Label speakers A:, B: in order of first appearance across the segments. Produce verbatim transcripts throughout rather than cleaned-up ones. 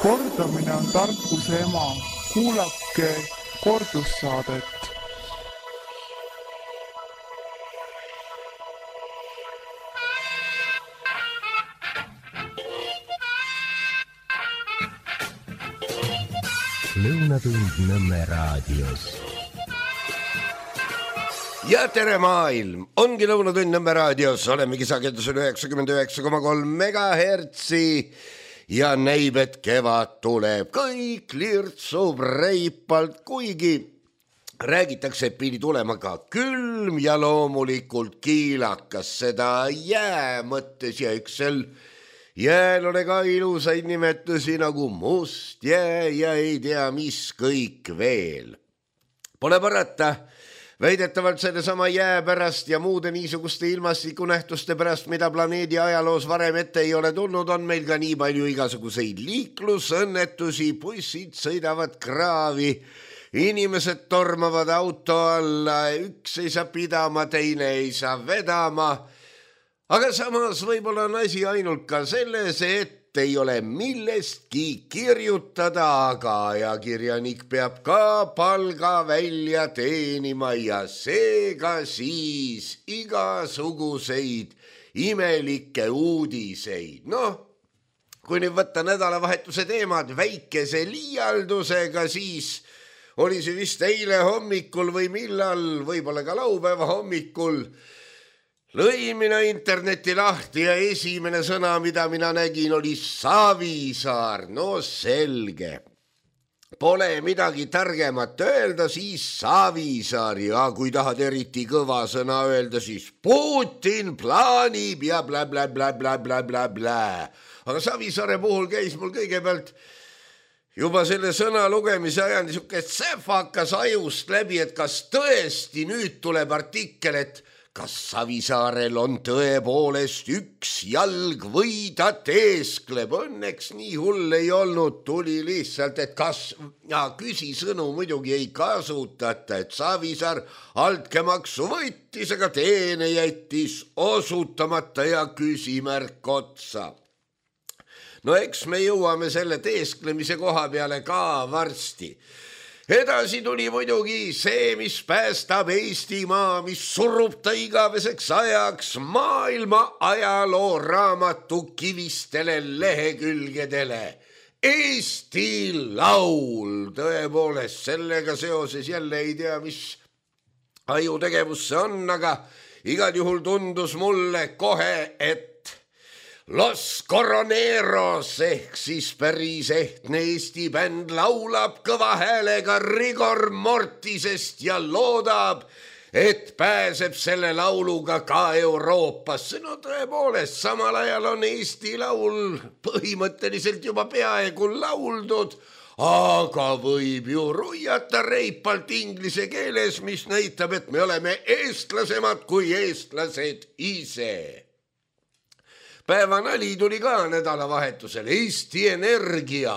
A: Kordamine on tarkuse ema. Kuulake kordussaadet.
B: Lõunatund Nõmme raadios.
C: Ja tere maailm! Ongi Lõunatund Nõmme raadios. Olemegi sagedusel üheksakümmend üheksa koma kolm megahertsi ja näib, et kevad tuleb. Kõik lirtsub reipalt, kuigi räägitakse, et pidi tulema ka külm ja loomulikult kiilakas. Seda jää mõttes ja üksel jääl ole ka ilusaid nimetusi nagu must jää ja ei tea mis kõik veel. Pole parata, väidetavalt selle sama jää pärast ja muude niisuguste ilmastikunähtuste pärast, mida planeedi ajaloos varem ette ei ole tulnud, on meil ka nii palju igasuguseid liiklusõnnetusi, bussid sõidavad kraavi, inimesed tormavad auto alla, üks ei saa pidama, teine ei saa vedama. Aga samas võib-olla on asi ainult ka selles, et ei ole millestki kirjutada, aga ajakirjanik peab ka palga välja teenima ja seega siis igasuguseid imelikke uudiseid. Noh, kui nüüd võtta nädalavahetuse teemad väikese liialdusega, siis oli see vist eile hommikul või millal, võib-olla ka laupäeva hommikul, lõin mina interneti lahti ja esimene sõna, mida mina nägin, oli Savisaar. No selge. Pole midagi targemat öelda, siis Savisaar. Ja kui tahad eriti kõva sõna öelda, siis Putin plaanib ja bla bla bla bla bla bla bla. Aga Savisaare puhul käis mul kõigepealt juba selle sõna lugemise ajal niisugune säfakas ajust läbi, et kas tõesti nüüd tuleb artikkel, et kas Savisaarel on tõepoolest üks jalg või ta teeskleb. Õnneks nii hull ei olnud, tuli lihtsalt, et kas ja küsisõnu muidugi ei kasutata, et Savisaar altkäemaksu võttis, aga teene jättis osutamata ja küsimärk otsa. No eks me jõuame selle teesklemise koha peale ka varsti. Edasi tuli muidugi see, mis päästab Eestimaa, mis surub ta igaveseks ajaks maailma ajaloo raamatu kivistele lehekülgedele. Eesti laul, tõepoolest, sellega seoses jälle ei tea, mis ajutegevus see on, aga igal juhul tundus mulle kohe, et Los Coroneros ehk siis päris ehtne Eesti bänd laulab kõva häälega Rigor Mortisest ja loodab, et pääseb selle lauluga ka Euroopasse. No tõepoolest, samal ajal on Eesti laul põhimõtteliselt juba peaaegu lauldud, aga võib ju ruiata reipalt inglise keeles, mis näitab, et me oleme eestlasemad kui eestlased ise. Päevanali tuli ka nädalavahetusel. Eesti Energia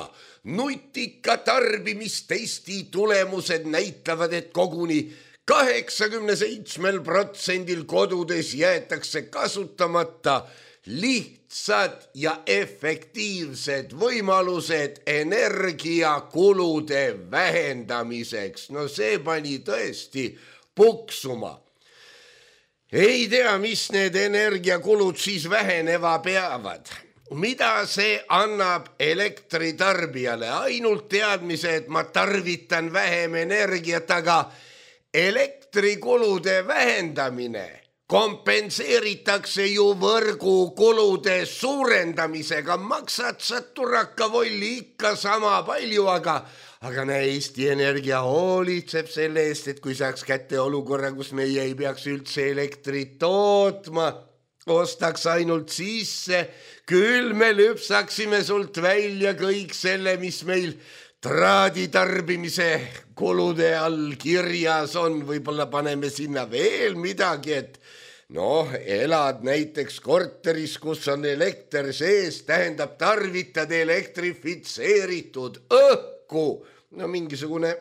C: nutika tarbimist Eesti tulemused näitavad, et koguni kaheksakümne seitsmel protsendil kodudes jäetakse kasutamata lihtsad ja efektiivsed võimalused energiakulude vähendamiseks. No see pani tõesti puksuma. Ei tea, mis need energiakulud siis väheneva peavad. Mida see annab elektritarbijale? Ainult teadmise, et ma tarvitan vähem energiat, aga elektrikulude vähendamine kompenseeritakse ju võrgukulude suurendamisega. Maksad sa turakavolli ikka sama palju, aga Aga näe, Eesti Energia hoolitseb selle eest, et kui saaks kätte olukorra, kus meie ei peaks üldse elektrit tootma, ostaks ainult sisse, küll me lüpsaksime sult välja kõik selle, mis meil traaditarbimise kulude all kirjas on. Võib-olla paneme sinna veel midagi, et noh, elad näiteks korteris, kus on elekter sees, tähendab tarvitad elektrifitseeritud õhku. No mingisugune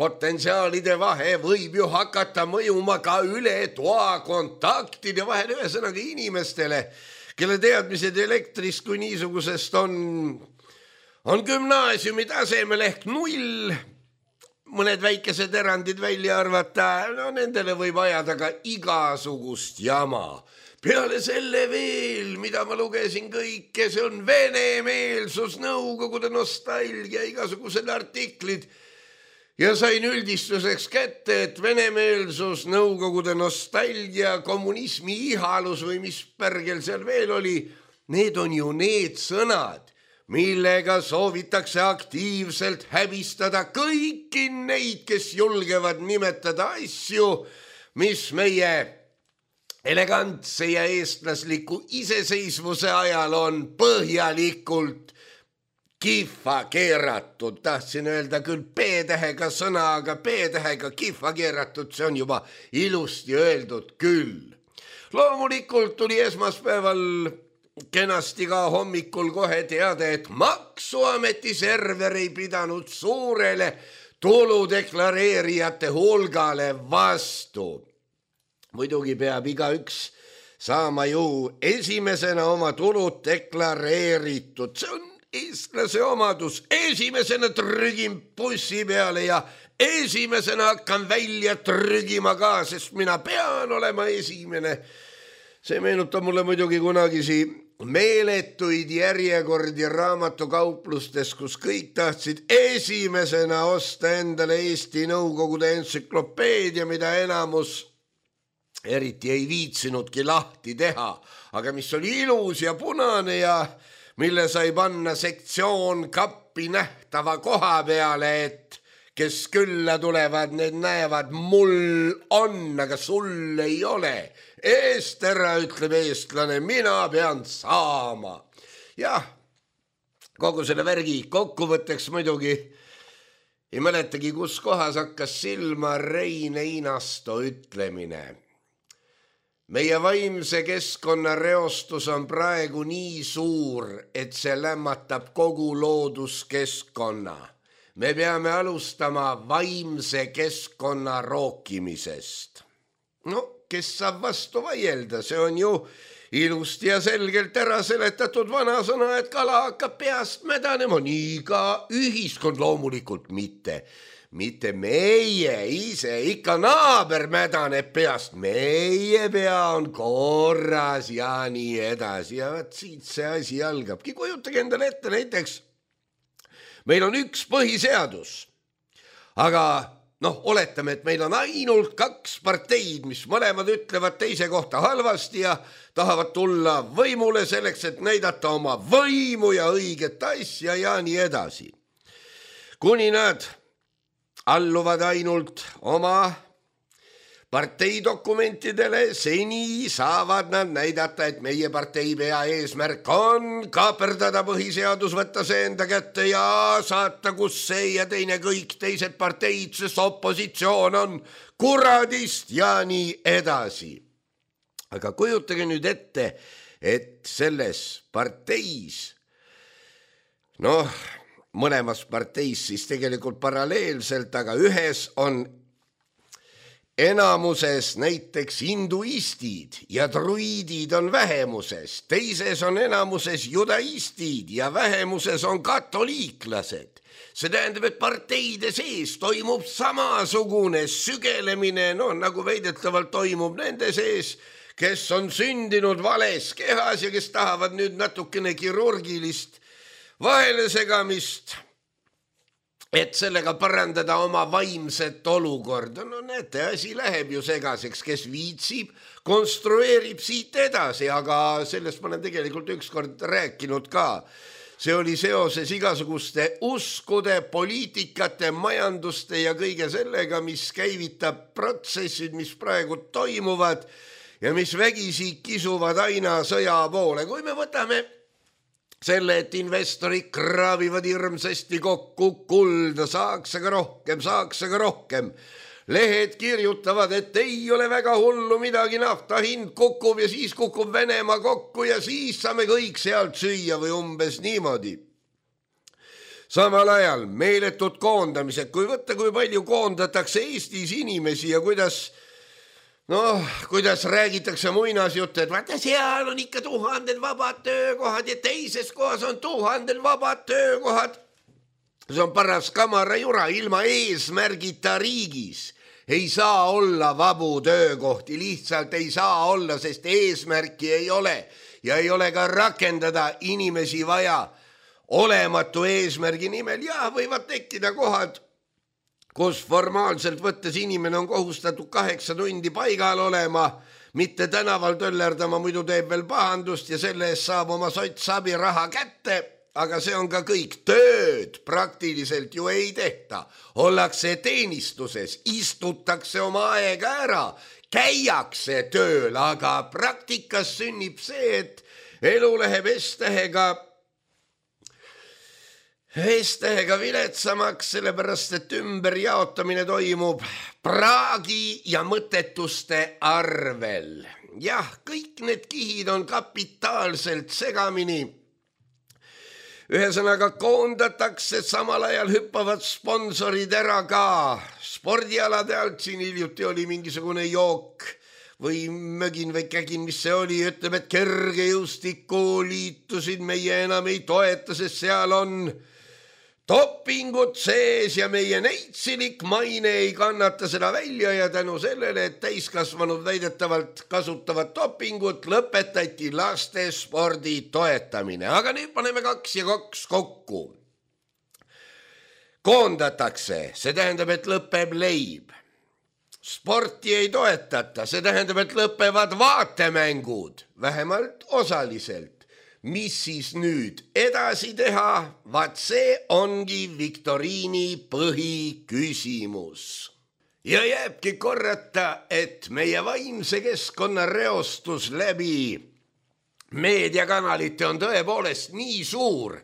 C: potentsiaalide vahe võib ju hakata mõjuma ka üle toa kontaktide vahel, ühesõnaga inimestele, kelle teadmised elektrist kui niisugusest on on gümnaasiumi tasemel ehk null, mõned väikesed erandid välja arvata, no nendele võib ajada ka igasugust jama. Peale selle veel, mida ma lugesin kõike, see on venemeelsus, nõukogude nostalgia, igasugused artiklid ja sain üldistuseks kätte, et venemeelsus, nõukogude nostalgia, kommunismi ihalus või mis pärgel seal veel oli, need on ju need sõnad, millega soovitakse aktiivselt häbistada kõiki neid, kes julgevad nimetada asju, mis meie elegantse ja eestlasliku iseseisvuse ajal on põhjalikult kihva keeratud. Tahtsin öelda küll P-tähega sõna, aga P-tähega kihva keeratud, see on juba ilusti öeldud küll. Loomulikult tuli esmaspäeval kenasti ka hommikul kohe teada, et maksuameti server ei pidanud suurele tuludeklareerijate hulgale vastu. Muidugi peab igaüks saama ju esimesena oma tulud deklareeritud. See on eestlase omadus. Esimesena trügin bussi peale ja esimesena hakkan välja trügima ka, sest mina pean olema esimene. See meenutab mulle muidugi kunagisi meeletuid järjekordi raamatukauplustes, kus kõik tahtsid esimesena osta endale Eesti Nõukogude entsüklopeedia, mida enamus eriti ei viitsinudki lahti teha, aga mis oli ilus ja punane ja mille sai panna sektsioon kappi nähtava koha peale, et kes külla tulevad, need näevad, mul on, aga sul ei ole. Eest ära, ütleb eestlane, mina pean saama. Jah, kogu selle värgi kokkuvõtteks muidugi ei mäletagi, kus kohas hakkas silma Rein Einasto ütlemine. Meie vaimse keskkonna reostus on praegu nii suur, et see lämmatab kogu looduskeskkonna. Me peame alustama vaimse keskkonna rookimisest. No, kes saab vastu vaielda, see on ju ilusti ja selgelt ära seletatud vanasõna, et kala hakkab peast mädanema, nii ka ühiskond loomulikult mitte. Mitte meie ise, ikka naaber mädaneb peast, meie pea on korras ja nii edasi. Ja vaat siit see asi algabki. Kujutage endale ette näiteks, meil on üks põhiseadus, aga noh, oletame, et meil on ainult kaks parteid, mis mõlemad ütlevad teise kohta halvasti ja tahavad tulla võimule selleks, et näidata oma võimu ja õiget asja ja nii edasi. Kuni nad alluvad ainult oma parteidokumentidele, seni saavad nad näidata, et meie partei pea eesmärk on kaaperdada põhiseadus, võtta see enda kätte ja saata kus see ja teine kõik teised parteid, sest opositsioon on kuradist ja nii edasi. Aga kujutage nüüd ette, et selles parteis, noh, mõlemas parteis siis tegelikult paralleelselt, aga ühes on enamuses näiteks hinduistid ja druidid on vähemuses, teises on enamuses judaistid ja vähemuses on katoliiklased. See tähendab, et parteide sees toimub samasugune sügelemine, no nagu väidetavalt toimub nende sees, kes on sündinud vales kehas ja kes tahavad nüüd natukene kirurgilist vahelesegamist, et sellega parandada oma vaimset olukorda. No näete, asi läheb ju segaseks, kes viitsib, konstrueerib siit edasi, aga sellest ma olen tegelikult ükskord rääkinud ka. See oli seoses igasuguste uskude, poliitikate, majanduste ja kõige sellega, mis käivitab protsessid, mis praegu toimuvad ja mis vägisi kisuvad aina sõja poole. Kui me võtame selle, et investorid kraavivad hirmsasti kokku kulda, saaks aga rohkem, saaks aga rohkem. Lehed kirjutavad, et ei ole väga hullu midagi, nafta hind kukub ja siis kukub Venemaa kokku ja siis saame kõik sealt süüa või umbes niimoodi. Samal ajal meeletud koondamised, kui võtta, kui palju koondatakse Eestis inimesi ja kuidas Noh, kuidas räägitakse muinasjutte, et vaata seal on ikka tuhanded vabad töökohad ja teises kohas on tuhanded vabad töökohad. See on paras kamara jura, ilma eesmärgita riigis ei saa olla vabu töökohti, lihtsalt ei saa olla, sest eesmärki ei ole ja ei ole ka rakendada inimesi vaja olematu eesmärgi nimel. Ja võivad tekkida kohad, kus formaalselt võttes inimene on kohustatud kaheksa tundi paigal olema, mitte tänaval töllerdama, muidu teeb veel pahandust ja selle eest saab oma sotsabi raha kätte, aga see on ka kõik. Tööd praktiliselt ju ei tehta. Ollakse teenistuses, istutakse oma aega ära, käiakse tööl, aga praktikas sünnib see, et elu läheb S-tähega S-tähega viletsamaks, sellepärast et ümberjaotamine toimub praagi ja mõttetuste arvel. Jah, kõik need kihid on kapitaalselt segamini. Ühesõnaga koondatakse, samal ajal hüppavad sponsorid ära ka. Spordialade alt siin hiljuti oli mingisugune jook või mögin või kägin, mis see oli, ütleb, et kergejõustiku liitusid meie enam ei toeta, sest seal on dopingut sees ja meie neitsilik maine ei kannata seda välja ja tänu sellele, et täiskasvanud väidetavalt kasutavad dopingut, lõpetati laste spordi toetamine. Aga nüüd paneme kaks ja kaks kokku. Koondatakse, see tähendab, et lõpeb leib. Sporti ei toetata, see tähendab, et lõpevad vaatemängud, vähemalt osaliselt. Mis siis nüüd edasi teha? Vaat see ongi viktoriini põhiküsimus. Ja jääbki korrata, et meie vaimse keskkonna reostus läbi meediakanalite on tõepoolest nii suur,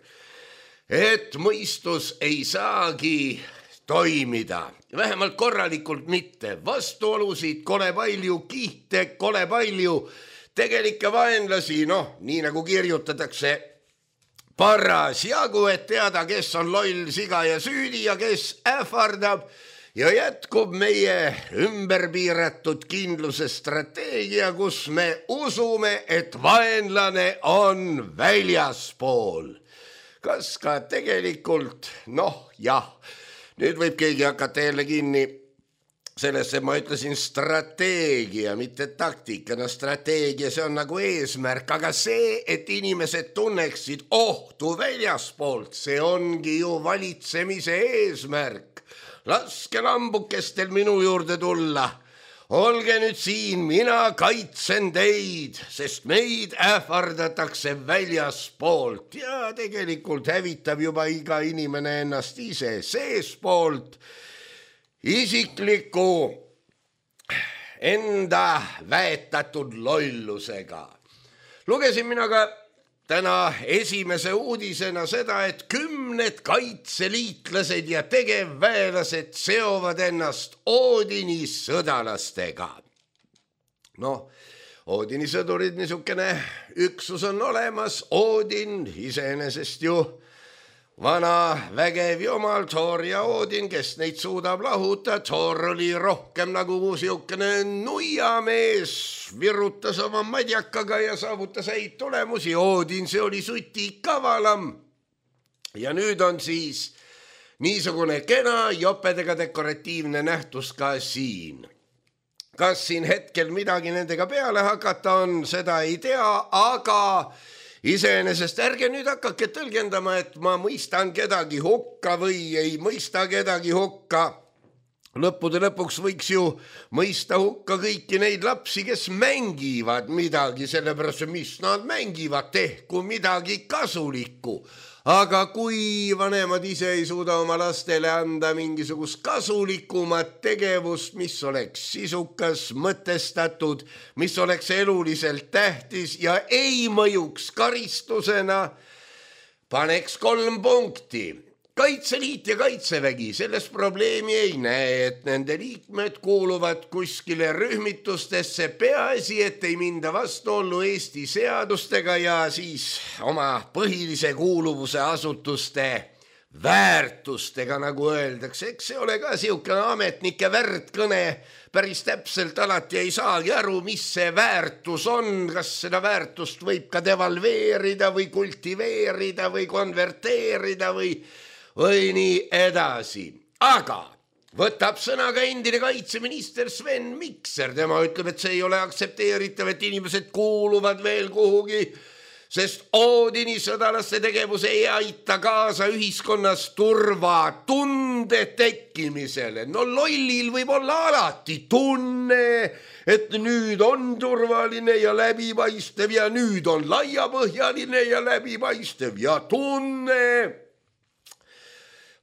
C: et mõistus ei saagi toimida. Vähemalt korralikult mitte. Vastuolusid kole palju, kihte kole palju, tegelikke vaenlasi, noh, nii nagu kirjutatakse paras jagu, et teada, kes on loll, siga ja süüdi ja kes ähvardab ja jätkub meie ümberpiiratud kindluse strateegia, kus me usume, et vaenlane on väljaspool. Kas ka tegelikult, noh, jah, nüüd võib keegi hakata jälle kinni sellesse, ma ütlesin strateegia, mitte taktika. No strateegia, see on nagu eesmärk, aga see, et inimesed tunneksid ohtu väljaspoolt, see ongi ju valitsemise eesmärk. Laske lambukestel minu juurde tulla. Olge nüüd siin, mina kaitsen teid, sest meid ähvardatakse väljaspoolt ja tegelikult hävitab juba iga inimene ennast ise seespoolt. Isikliku enda väetatud lollusega. Lugesin mina ka täna esimese uudisena seda, et kümned kaitseliitlased ja tegevväelased seovad ennast Oodini sõdalastega. Noh, Oodini sõdurid niisugune üksus on olemas, Oodin iseenesest ju vana vägev jumal, Thor ja Oodin, kes neid suudab lahuta. Thor oli rohkem nagu siukene nuiamees, virutas oma madjakaga ja saavutas häid tulemusi. Oodin, see oli suti kavalam. Ja nüüd on siis niisugune kena jopedega dekoratiivne nähtus ka siin. Kas siin hetkel midagi nendega peale hakata on, seda ei tea, aga iseenesest ärge nüüd hakake tõlgendama, et ma mõistan kedagi hukka või ei mõista kedagi hukka. Lõppude lõpuks võiks ju mõista hukka kõiki neid lapsi, kes mängivad midagi, sellepärast, mis nad mängivad, tehku midagi kasulikku. Aga kui vanemad ise ei suuda oma lastele anda mingisugust kasulikumat tegevust, mis oleks sisukas, mõtestatud, mis oleks eluliselt tähtis ja ei mõjuks karistusena, paneks kolm punkti. Kaitseliit ja kaitsevägi, selles probleemi ei näe, et nende liikmed kuuluvad kuskile rühmitustesse, peaasi, et ei minda vastuollu Eesti seadustega ja siis oma põhilise kuuluvuse asutuste väärtustega, nagu öeldakse, eks see ole ka siukene ametnike värdkõne, päris täpselt alati ei saagi aru, mis see väärtus on, kas seda väärtust võib ka devalveerida või kultiveerida või konverteerida või, või nii edasi. Aga võtab sõna ka endine kaitseminister Sven Mikser, tema ütleb, et see ei ole aktsepteeritav, et inimesed kuuluvad veel kuhugi, sest Oodini sõdalaste tegevus ei aita kaasa ühiskonnas turvatunde tekkimisele. No lollil võib olla alati tunne, et nüüd on turvaline ja läbipaistev ja nüüd on laiapõhjaline ja läbipaistev ja tunne.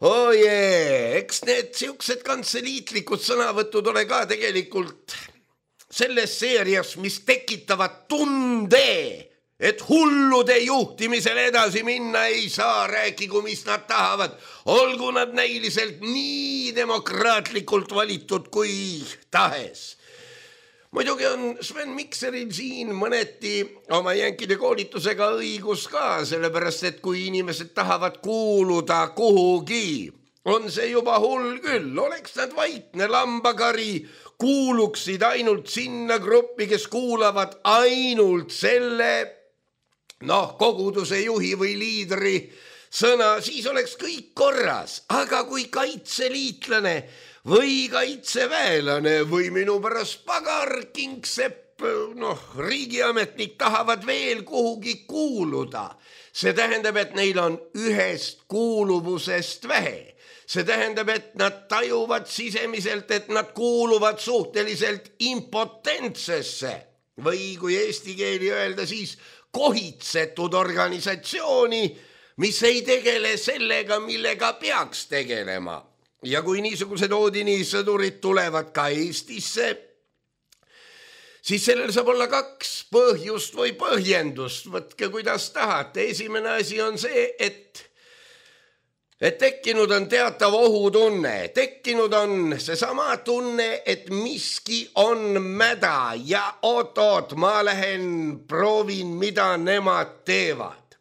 C: Oh jee, eks need siuksed kantseliitlikud sõnavõtud ole ka tegelikult selles seerias, mis tekitavad tunde, et hullude juhtimisel edasi minna ei saa, rääkigu, mis nad tahavad, olgu nad näiliselt nii demokraatlikult valitud kui tahes. Muidugi on Sven Mikseril siin mõneti oma jänkide koolitusega õigus ka, sellepärast et kui inimesed tahavad kuuluda kuhugi, on see juba hull küll, oleks nad vaikne lambakari, kuuluksid ainult sinna gruppi, kes kuulavad ainult selle noh, koguduse juhi või liidri sõna, siis oleks kõik korras. Aga kui kaitseliitlane või kaitseväelane või minu pärast pagar, kingsepp, noh, riigiametnik tahavad veel kuhugi kuuluda, see tähendab, et neil on ühest kuuluvusest vähe. See tähendab, et nad tajuvad sisemiselt, et nad kuuluvad suhteliselt impotentsesse või kui eesti keeli öelda, siis kohitsetud organisatsiooni, mis ei tegele sellega, millega peaks tegelema. Ja kui niisugused Oodini sõdurid tulevad ka Eestisse, siis sellel saab olla kaks põhjust või põhjendust, võtke kuidas tahate. Esimene asi on see, et et tekkinud on teatav ohutunne, tekkinud on seesama tunne, et miski on mäda ja oot-oot, ma lähen proovin, mida nemad teevad.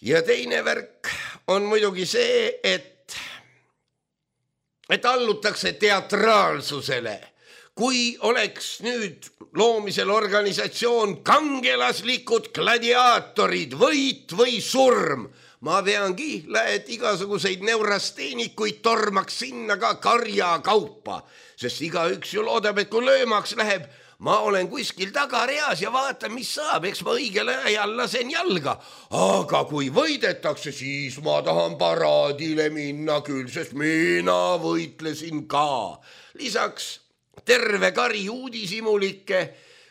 C: Ja teine värk on muidugi see, et, et allutakse teatraalsusele. Kui oleks nüüd loomisel organisatsioon kangelaslikud gladiaatorid, võit või surm, ma veangi, et igasuguseid neurasteenikuid tormaks sinna ka karja kaupa, sest igaüks ju loodab, et kui löömaks läheb, ma olen kuskil tagareas ja vaatan, mis saab, eks ma õigel ajal lasen jalga. Aga kui võidetakse, siis ma tahan paraadile minna küll, sest mina võitlesin ka. Lisaks terve kari uudisimulikke,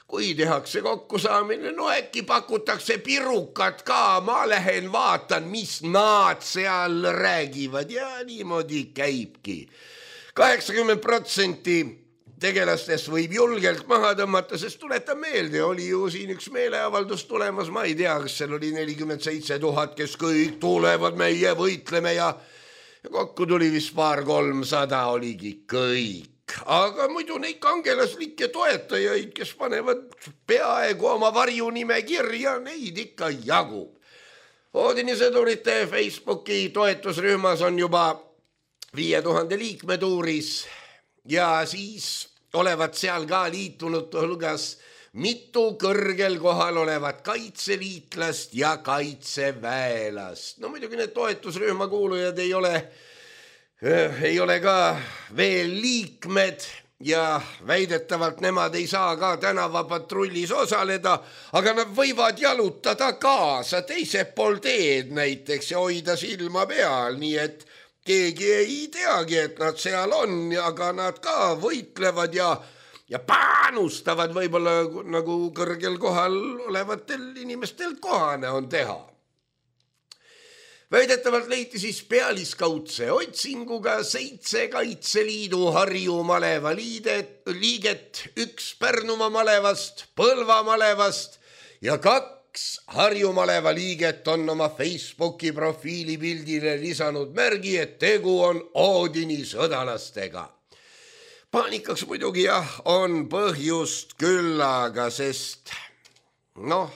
C: kui tehakse kokkusaamine, no äkki pakutakse pirukat ka, ma lähen vaatan, mis nad seal räägivad ja niimoodi käibki. kaheksakümmend protsenti tegelastest võib julgelt maha tõmmata, sest tuletan meelde, oli ju siin üks meeleavaldus tulemas, ma ei tea, kas seal oli nelikümmend seitse tuhat, kes kõik tulevad, meie võitleme ja, ja kokku tuli vist paar kolmsada oligi kõik. Aga muidu neid kangelaslikke toetajaid, kes panevad peaaegu oma varjunime kirja, neid ikka jagub. Oodini sõdurite Facebooki toetusrühmas on juba viie tuhande liikme tuuris ja siis olevat seal ka liitunud hulgas mitu kõrgel kohal olevat kaitseliitlast ja kaitseväelast. No muidugi need toetusrühma kuulujad ei ole ei ole ka veel liikmed ja väidetavalt nemad ei saa ka tänavapatrullis osaleda, aga nad võivad jalutada kaasa teiselt pool teed näiteks ja hoida silma peal, nii et keegi ei teagi, et nad seal on, aga nad ka võitlevad ja, ja panustavad võib-olla nagu kõrgel kohal olevatel inimestel kohane on teha. Väidetavalt leiti siis pealiskaudse otsinguga seitse Kaitseliidu Harju maleva liidet, liiget, üks Pärnumaa malevast, Põlva malevast ja kaks Harju maleva liiget on oma Facebooki profiilipildile lisanud märgi, et tegu on Oodini sõdalastega. Paanikaks muidugi jah, on põhjust küllaga, sest noh,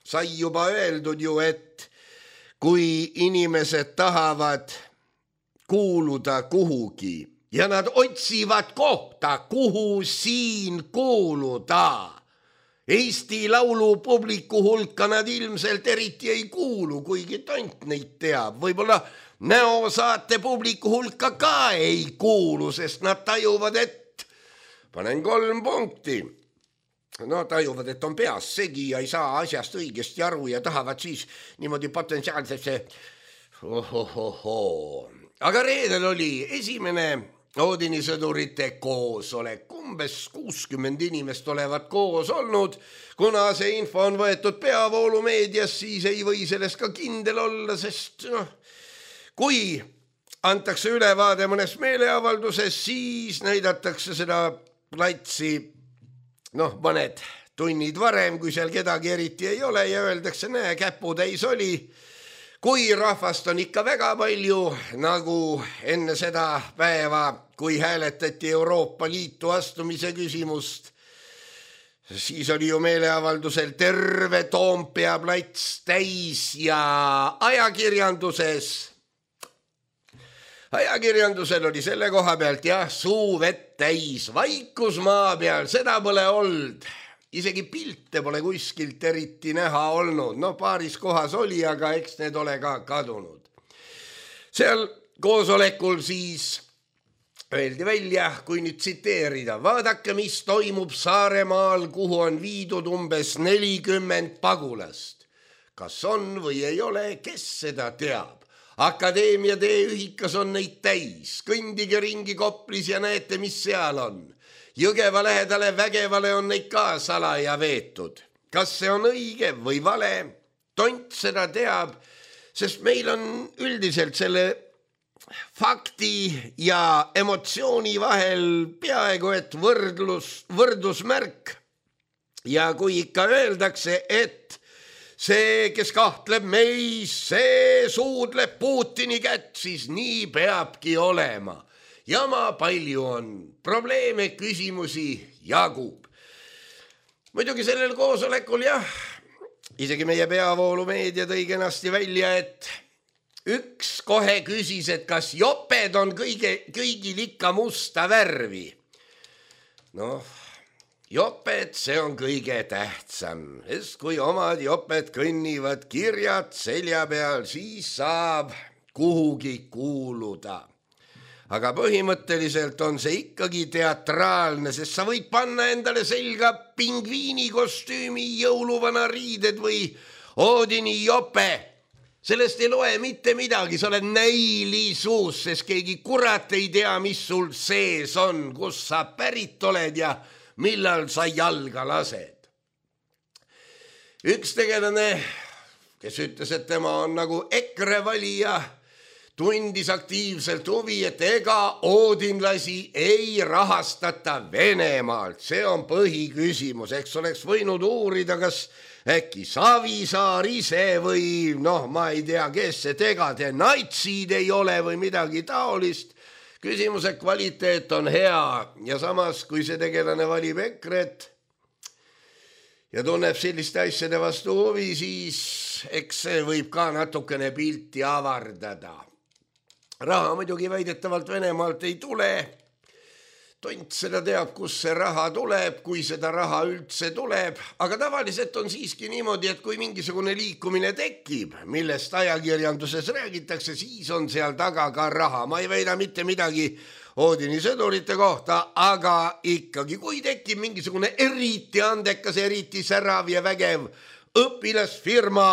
C: sai juba öeldud ju, et kui inimesed tahavad kuuluda kuhugi ja nad otsivad kohta, kuhu siin kuuluda. Eesti Laulu publiku hulka nad ilmselt eriti ei kuulu, kuigi tont neid teab. Võib-olla näosaate publiku hulka ka ei kuulu, sest nad tajuvad, et panen kolm punkti. No tajuvad, et on peas segi ja ei saa asjast õigesti aru ja tahavad siis niimoodi potentsiaalsesse ohohoho. Aga reedel oli esimene Oodini sõdurite koosolek. Umbes kuuskümmend inimest olevat koos olnud. Kuna see info on võetud peavoolumeedias, siis ei või sellest ka kindel olla, sest noh, kui antakse ülevaade mõnes meeleavalduses, siis näidatakse seda platsi noh, mõned tunnid varem, kui seal kedagi eriti ei ole ja öeldakse, näe, käputäis oli. Kui rahvast on ikka väga palju, nagu enne seda päeva, kui hääletati Euroopa Liitu astumise küsimust, siis oli ju meeleavaldusel terve Toompea plats täis ja ajakirjanduses, ajakirjandusel oli selle koha pealt jah, suu vett täis, vaikus maa peal, seda pole olnud. Isegi pilte pole kuskilt eriti näha olnud. No paaris kohas oli, aga eks need ole ka kadunud. Seal koosolekul siis öeldi välja, kui nüüd tsiteerida. Vaadake, mis toimub Saaremaal, kuhu on viidud umbes nelikümmend pagulast. Kas on või ei ole, kes seda teab? Akadeemia teeühikas on neid täis. Kõndige ringi Koplis ja näete, mis seal on. Jõgeva lähedale Vägevale on neid ka salaja veetud. Kas see on õige või vale? Tont seda teab, sest meil on üldiselt selle fakti ja emotsiooni vahel peaaegu et võrdlus, võrdusmärk. Ja kui ikka öeldakse, et see, kes kahtleb meis, see suudleb Putini kätt, siis nii peabki olema. Jama palju on, probleeme, küsimusi jagub. Muidugi sellel koosolekul jah, isegi meie peavoolumeedia tõi kenasti välja, et üks kohe küsis, et kas joped on kõige, kõigil ikka musta värvi. Noh, joped, see on kõige tähtsam, sest kui omad joped kõnnivad kirjad selja peal, siis saab kuhugi kuuluda. Aga põhimõtteliselt on see ikkagi teatraalne, sest sa võid panna endale selga pingviini kostüümi, jõuluvana riided või Oodini jope. Sellest ei loe mitte midagi, sa oled näilisuus, sest keegi kurat ei tea, mis sul sees on, kus sa pärit oled ja millal sa jalga lased. Üks tegelane, kes ütles, et tema on nagu EKRE valija, tundis aktiivselt huvi, et ega oodinlasi ei rahastata Venemaalt. See on põhiküsimus, eks oleks võinud uurida, kas äkki Savisaar ise või noh, ma ei tea, kes see tegade natsid ei ole või midagi taolist. Küsimuse kvaliteet on hea ja samas, kui see tegelane valib EKRE-t ja tunneb selliste asjade vastu huvi, siis eks see võib ka natukene pilti avardada. Raha muidugi väidetavalt Venemaalt ei tule. Tont seda teab, kus see raha tuleb, kui seda raha üldse tuleb. Aga tavaliselt on siiski niimoodi, et kui mingisugune liikumine tekib, millest ajakirjanduses räägitakse, siis on seal taga ka raha. Ma ei väida mitte midagi Oodini sõdurite kohta, aga ikkagi, kui tekib mingisugune eriti andekas, eriti särav ja vägev õpilasfirma,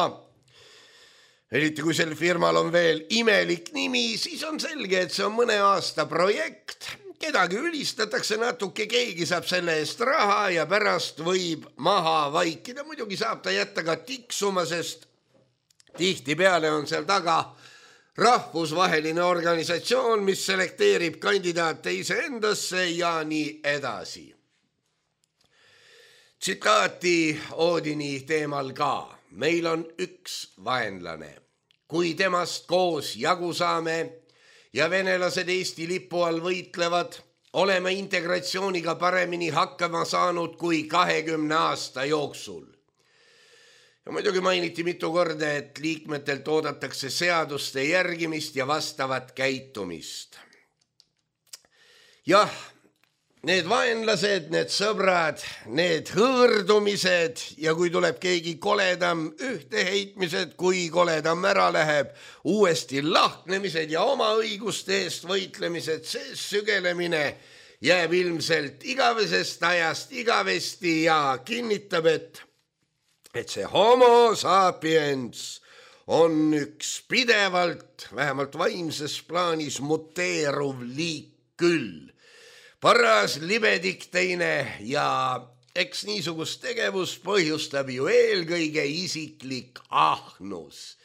C: eriti kui sel firmal on veel imelik nimi, siis on selge, et see on mõne aasta projekt. Kedagi ülistatakse natuke, keegi saab selle eest raha ja pärast võib maha vaikida. Muidugi saab ta jätta ka tiksuma, sest tihtipeale on seal taga rahvusvaheline organisatsioon, mis selekteerib kandidaate iseendasse ja nii edasi. Tsitaati Oodini teemal ka. Meil on üks vaenlane. Kui temast koos jagu saame ja venelased Eesti lipu all võitlevad, oleme integratsiooniga paremini hakkama saanud kui kahekümne aasta jooksul. No muidugi mainiti mitu korda, et liikmetelt oodatakse seaduste järgimist ja vastavat käitumist. Jah, need vaenlased, need sõbrad, need hõõrdumised ja kui tuleb keegi koledam ühteheitmised, kui koledam ära läheb, uuesti lahknemised ja oma õiguste eest võitlemised, see sügelemine jääb ilmselt igavesest ajast igavesti ja kinnitab, et et see homo sapiens on üks pidevalt, vähemalt vaimses plaanis muteeruv liik küll. Paras libedik teine ja eks niisugust tegevust põhjustab ju eelkõige isiklik ahnus.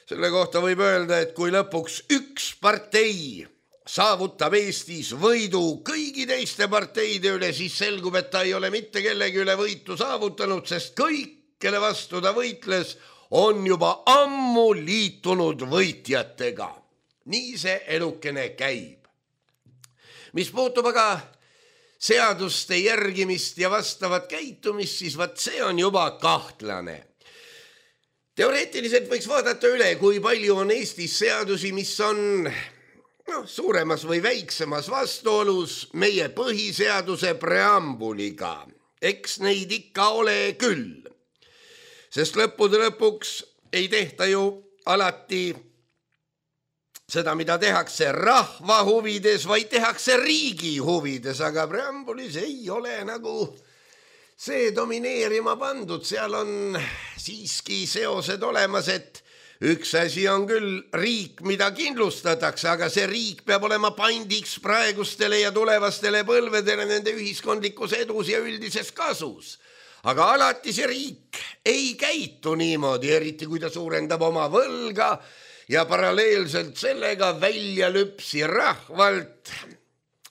C: Selle kohta võib öelda, et kui lõpuks üks partei saavutab Eestis võidu kõigi teiste parteide üle, siis selgub, et ta ei ole mitte kellegi üle võitu saavutanud, sest kõik, kelle vastu ta võitles, on juba ammu liitunud võitjatega. Nii see elukene käib. Mis puutub aga seaduste järgimist ja vastavat käitumist, siis vaat see on juba kahtlane. Teoreetiliselt võiks vaadata üle, kui palju on Eestis seadusi, mis on no, suuremas või väiksemas vastuolus meie põhiseaduse preambuliga. Eks neid ikka ole küll. Sest lõppude lõpuks ei tehta ju alati seda, mida tehakse rahva huvides, vaid tehakse riigi huvides, aga preambulis ei ole nagu see domineerima pandud. Seal on siiski seosed olemas, et üks asi on küll riik, mida kindlustatakse, aga see riik peab olema pandiks praegustele ja tulevastele põlvedele nende ühiskondlikus edus ja üldises kasus. Aga alati see riik ei käitu niimoodi, eriti kui ta suurendab oma võlga ja paralleelselt sellega välja lüpsi rahvalt.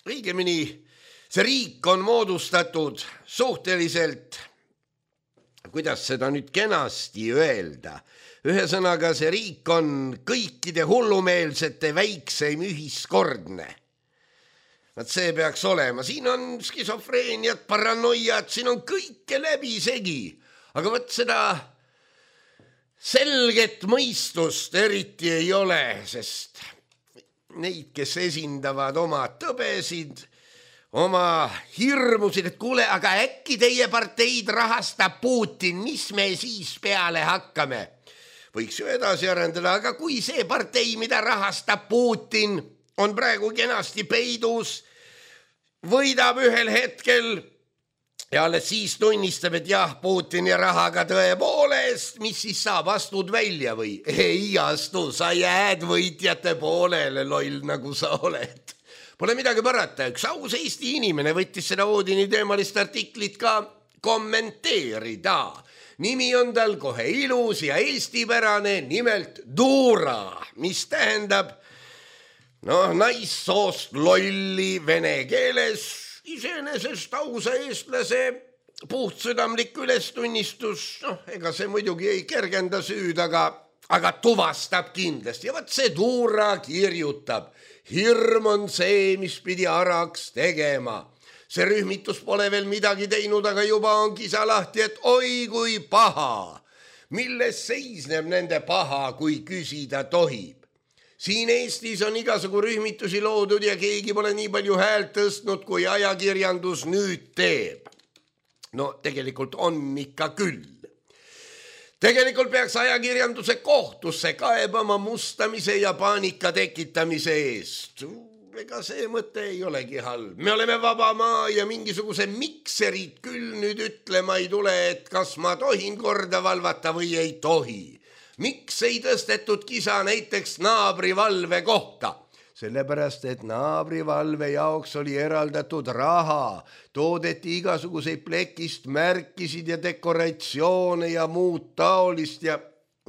C: Õigemini, see riik on moodustatud suhteliselt, kuidas seda nüüd kenasti öelda, ühesõnaga see riik on kõikide hullumeelsete väikseim ühiskordne. Vaat see peaks olema. Siin on skisofreeniat, paranoiat, siin on kõike läbi segi. Aga võt seda selget mõistust eriti ei ole, sest neid, kes esindavad oma tõbesid, oma hirmusid, et kuule, aga äkki teie parteid rahastab Putin, mis me siis peale hakkame? Võiks ju edasi arendada, aga kui see partei, mida rahastab Putin, on praegu kenasti peidus, võidab ühel hetkel ja alles siis tunnistab, et jah, Putini rahaga tõepoolest, mis siis saab, astud välja või? Ei astu, sa jääd võitjate poolele, loll nagu sa oled. Pole midagi parata, üks aus Eesti inimene võttis seda Oodini teemalist artiklit ka kommenteerida. Nimi on tal kohe ilus ja eestipärane, nimelt Dura, mis tähendab noh, naissoost lolli vene keeles, iseenesest ausa eestlase puhtsüdamlik ülestunnistus, noh, ega see muidugi ei kergenda süüd, aga, aga tuvastab kindlasti. Ja vaat see Dura kirjutab, hirm on see, mis pidi araks tegema. See rühmitus pole veel midagi teinud, aga juba on kisa lahti, et oi kui paha. Milles seisneb nende paha, kui küsida tohib? Siin Eestis on igasugu rühmitusi loodud ja keegi pole nii palju häält tõstnud, kui ajakirjandus nüüd teeb. No tegelikult on ikka küll. Tegelikult peaks ajakirjanduse kohtusse kaebama mustamise ja paanika tekitamise eest. Ega see mõte ei olegi halb. Me oleme vaba maa ja mingisuguse mikserid küll nüüd ütlema ei tule, et kas ma tohin korda valvata või ei tohi. Miks ei tõstetud kisa näiteks naabrivalve kohta? Sellepärast, et naabrivalve jaoks oli eraldatud raha, toodeti igasuguseid plekist märkisid ja dekoratsioone ja muud taolist ja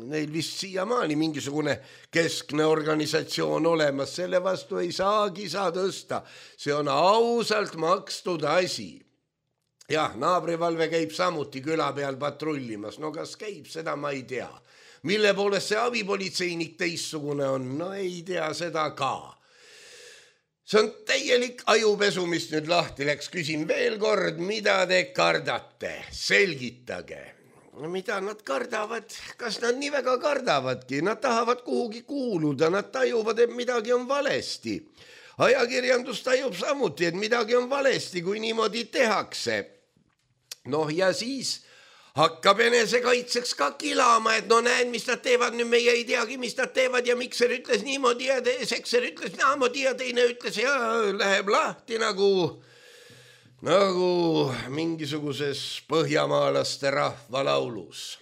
C: neil vist siiamaani mingisugune keskne organisatsioon olemas, selle vastu ei saa kisa tõsta. See on ausalt makstud asi. Jah, naabrivalve käib samuti küla peal patrullimas, no kas käib, seda ma ei tea. Mille poolest see abipolitseinik teissugune on, no ei tea seda ka. See on täielik ajupesu, mis nüüd lahti läks. Küsin veel kord, mida te kardate? Selgitage. mida nad kardavad, kas nad nii väga kardavadki, nad tahavad kuhugi kuuluda, nad tajuvad, et midagi on valesti. Ajakirjandus tajub samuti, et midagi on valesti, kui niimoodi tehakse. Noh, ja siis hakkab enesekaitseks ka kilama, et no näed, mis nad teevad, nüüd meie ei teagi, mis nad teevad ja Mikser ütles niimoodi ja Sekser ütles naamoodi ja teine ütles ja läheb lahti nagu, nagu mingisuguses põhjamaalaste rahvalaulus.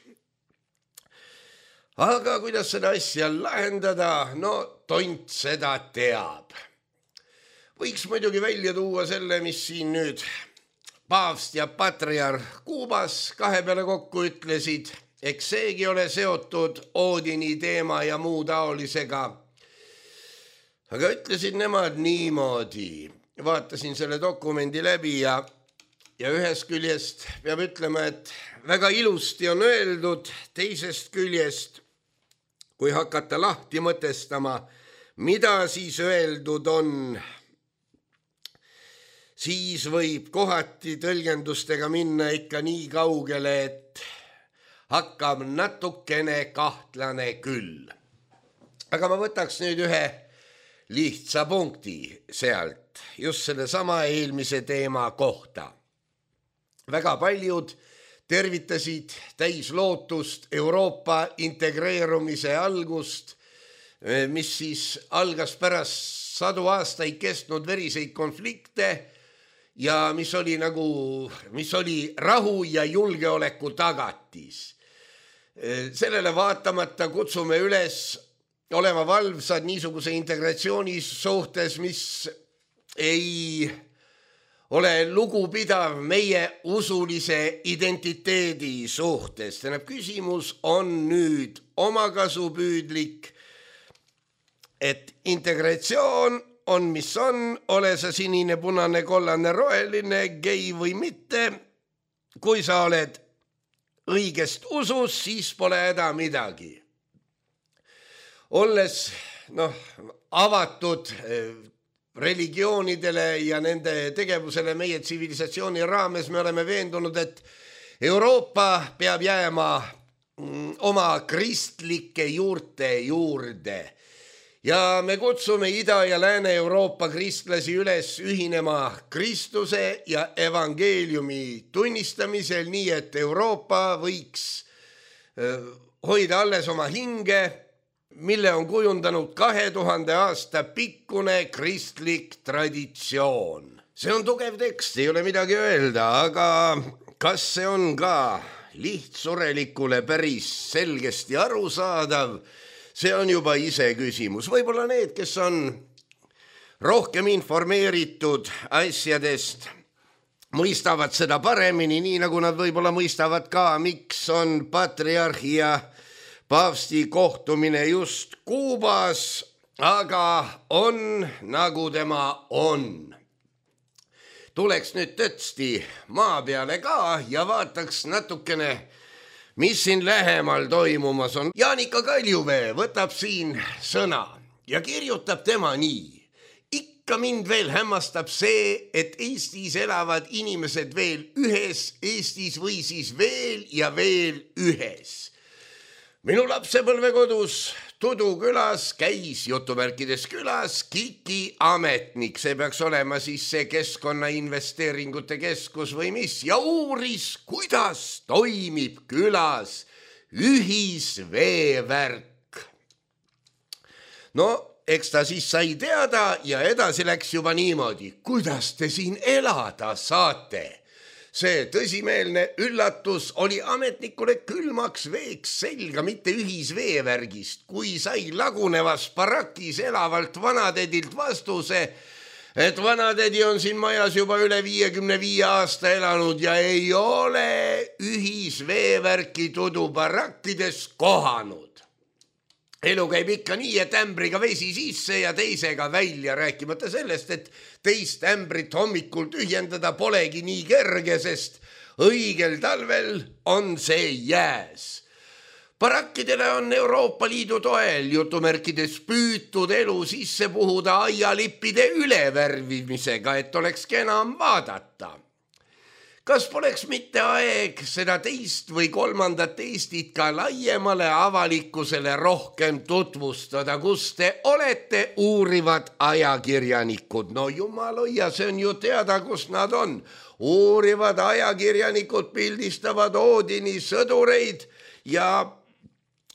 C: Aga kuidas seda asja lahendada? No tont seda teab. Võiks muidugi välja tuua selle, mis siin nüüd paavst ja patriarh Kuubas kahe peale kokku ütlesid, eks seegi ole seotud Oodini teema ja muu taolisega. Aga ütlesid nemad niimoodi, vaatasin selle dokumendi läbi ja, ja ühest küljest peab ütlema, et väga ilusti on öeldud, teisest küljest, kui hakata lahti mõtestama, mida siis öeldud on, siis võib kohati tõlgendustega minna ikka nii kaugele, et hakkab natukene kahtlane küll. Aga ma võtaks nüüd ühe lihtsa punkti sealt, just selle sama eelmise teema kohta. Väga paljud tervitasid täis lootust Euroopa integreerumise algust, mis siis algas pärast sadu aastaid kestnud veriseid konflikte, ja mis oli nagu, mis oli rahu ja julgeoleku tagatis. Sellele vaatamata kutsume üles olema valvsad niisuguse integratsiooni suhtes, mis ei ole lugupidav meie usulise identiteedi suhtes. Tähendab, küsimus on nüüd omakasupüüdlik, et integratsioon on, mis on, ole sa sinine, punane, kollane, roheline, gei või mitte. Kui sa oled õigest usus, siis pole häda midagi. Olles noh, avatud religioonidele ja nende tegevusele meie tsivilisatsiooni raames, me oleme veendunud, et Euroopa peab jääma oma kristlike juurte juurde. Ja me kutsume Ida- ja Lääne-Euroopa kristlasi üles ühinema Kristuse ja evangeeliumi tunnistamisel, nii et Euroopa võiks hoida alles oma hinge, mille on kujundanud kahe tuhande aasta pikkune kristlik traditsioon. See on tugev tekst, ei ole midagi öelda, aga kas see on ka lihtsurelikule päris selgesti arusaadav? See on juba ise küsimus. Võib-olla need, kes on rohkem informeeritud asjadest, mõistavad seda paremini, nii nagu nad võib-olla mõistavad ka, miks on patriarhi ja paavsti kohtumine just Kuubas, aga on nagu tema on. Tuleks nüüd tõtsti maa peale ka ja vaataks natukene, mis siin lähemal toimumas on. Jaanika Kaljuvee võtab siin sõna ja kirjutab tema nii. Ikka mind veel hämmastab see, et Eestis elavad inimesed veel ühes Eestis või siis veel ja veel ühes. Minu lapsepõlvekodus Tudu külas käis jutumärkides külas Kiki ametnik, see peaks olema siis see keskkonnainvesteeringute keskus või mis, ja uuris, kuidas toimib külas ühisveevärk. No, eks ta siis sai teada ja edasi läks juba niimoodi, kuidas te siin elada saate. See tõsimeelne üllatus oli ametnikule külmaks veeks selga, mitte ühisveevärgist, kui sai lagunevas barakis elavalt vanadedilt vastuse, et vanadedi on siin majas juba üle viiekümne viie aasta elanud ja ei ole ühisveevärki Tudu barakkides kohanud. Elu käib ikka nii, et ämbriga vesi sisse ja teisega välja, rääkimata sellest, et teist ämbrit hommikul tühjendada polegi nii kerge, sest õigel talvel on see jääs. Barakkidele on Euroopa Liidu toel jutumärkides püütud elu sisse puhuda aialippide ülevärvimisega, et oleks enam vaadata. kas poleks mitte aeg seda teist või kolmandat Eestit ka laiemale avalikkusele rohkem tutvustada, kus te olete uurivad ajakirjanikud? No jumal hoia, see on ju teada, kus nad on. Uurivad ajakirjanikud pildistavad Oodini sõdureid ja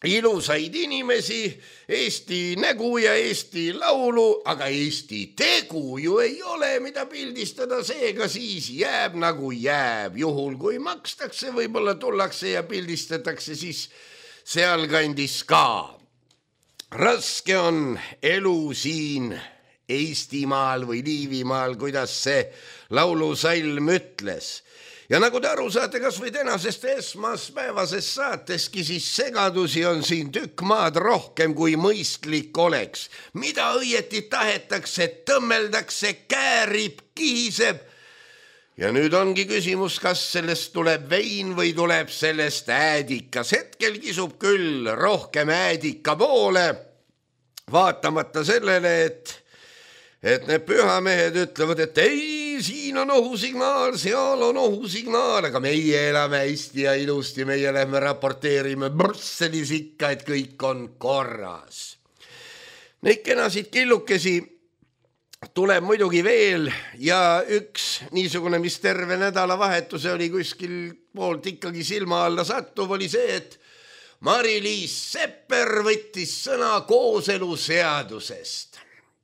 C: ilusaid inimesi, Eesti nägu ja Eesti laulu, aga Eesti tegu ju ei ole, mida pildistada, seega siis jääb nagu jääb. Juhul kui makstakse, võib-olla tullakse ja pildistatakse siis sealkandis ka. Raske on elu siin Eestimaal või Liivimaal, kuidas see laulusalm ütles. Ja nagu te aru saate, kas või tänasest esmaspäevasest saateski, siis segadusi on siin tükk maad rohkem kui mõistlik oleks. Mida õieti tahetakse, tõmmeldakse, käärib, kihiseb. Ja nüüd ongi küsimus, kas sellest tuleb vein või tuleb sellest äädikas. Hetkel kisub küll rohkem äädika poole, vaatamata sellele, et et need pühamehed ütlevad, et ei, siin on ohusignaal, seal on ohusignaal, aga meie elame hästi ja ilusti, meie lähme raporteerime Brüsselis ikka, et kõik on korras. Neid kenasid killukesi tuleb muidugi veel ja üks niisugune, mis terve nädalavahetuse oli kuskil poolt ikkagi silma alla sattuv, oli see, et Mari-Liis Sepper võttis sõna kooseluseadusest.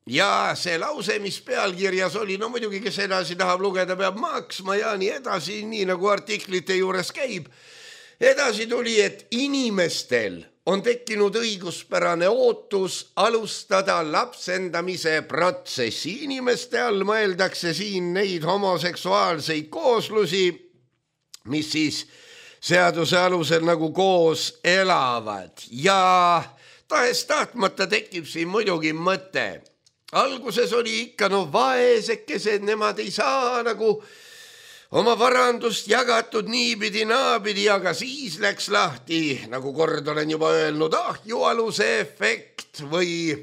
C: Ja see lause, mis pealkirjas oli, no muidugi, kes edasi tahab lugeda, peab maksma ja nii edasi, nii nagu artiklite juures käib. Edasi tuli, et inimestel on tekkinud õiguspärane ootus alustada lapsendamise protsessi. Inimeste all mõeldakse siin neid homoseksuaalseid kooslusi, mis siis seaduse alusel nagu koos elavad. Ja tahes tahtmata tekib siin muidugi mõte. Alguses oli ikka no vaesekesed, nemad ei saa nagu oma varandust jagatud niipidi naapidi, aga siis läks lahti, nagu kord olen juba öelnud, ahjualuse efekt või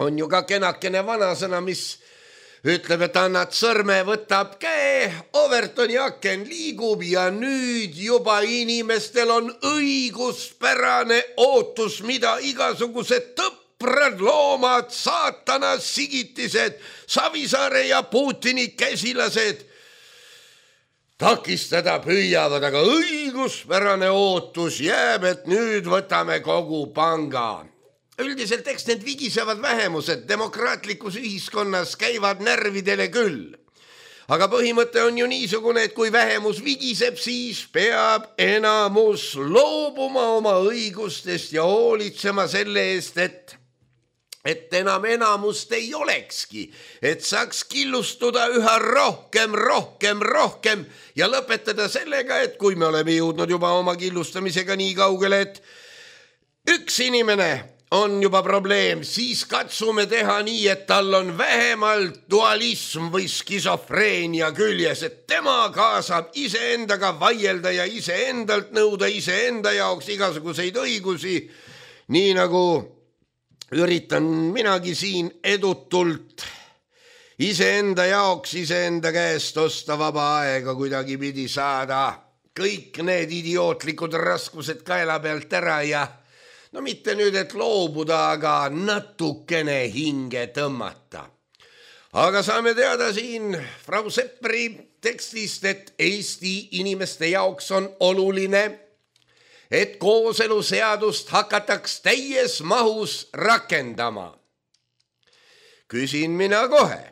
C: on ju ka kenakene vanasõna, mis ütleb, et annad sõrme, võtab käe, Overtoni aken liigub ja nüüd juba inimestel on õiguspärane ootus, mida igasugused tõpp Prad loomad, saatana sigitised, Savisaare ja Putini käsilased takistada püüavad, aga õiguspärane ootus jääb, et nüüd võtame kogu panga. Üldiselt eks need vigisevad vähemused demokraatlikus ühiskonnas käivad närvidele küll. Aga põhimõte on ju niisugune, et kui vähemus vigiseb, siis peab enamus loobuma oma õigustest ja hoolitsema selle eest, et, et enam enamust ei olekski, et saaks killustuda üha rohkem, rohkem, rohkem ja lõpetada sellega, et kui me oleme jõudnud juba oma killustamisega nii kaugele, et üks inimene on juba probleem, siis katsume teha nii, et tal on vähemalt dualism või skisofreenia küljes, et tema kaasab iseendaga vaielda ja iseendalt nõuda iseenda jaoks igasuguseid õigusi, nii nagu üritan minagi siin edutult iseenda jaoks iseenda käest osta vaba aega kuidagi pidi saada kõik need idiootlikud raskused kaela pealt ära ja no mitte nüüd, et loobuda, aga natukene hinge tõmmata. Aga saame teada siin Frau Sepperi tekstist, et Eesti inimeste jaoks on oluline, et kooseluseadust hakataks täies mahus rakendama. Küsin mina kohe,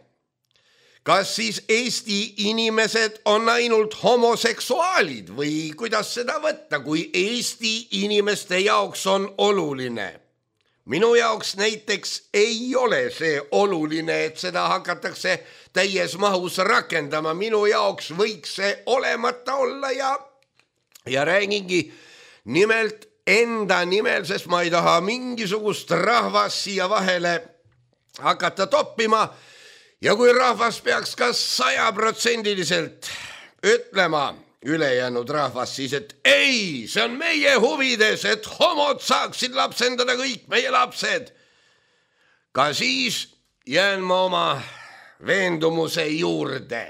C: kas siis Eesti inimesed on ainult homoseksuaalid või kuidas seda võtta, kui Eesti inimeste jaoks on oluline? Minu jaoks näiteks ei ole see oluline, et seda hakatakse täies mahus rakendama. Minu jaoks võiks see olemata olla ja, ja räägingi nimelt enda nimel, sest ma ei taha mingisugust rahvast siia vahele hakata toppima. Ja kui rahvas peaks ka sajaprotsendiliselt ütlema ülejäänud rahvas siis, et ei, see on meie huvides, et homod saaksid lapsendada kõik meie lapsed, ka siis jään ma oma veendumuse juurde.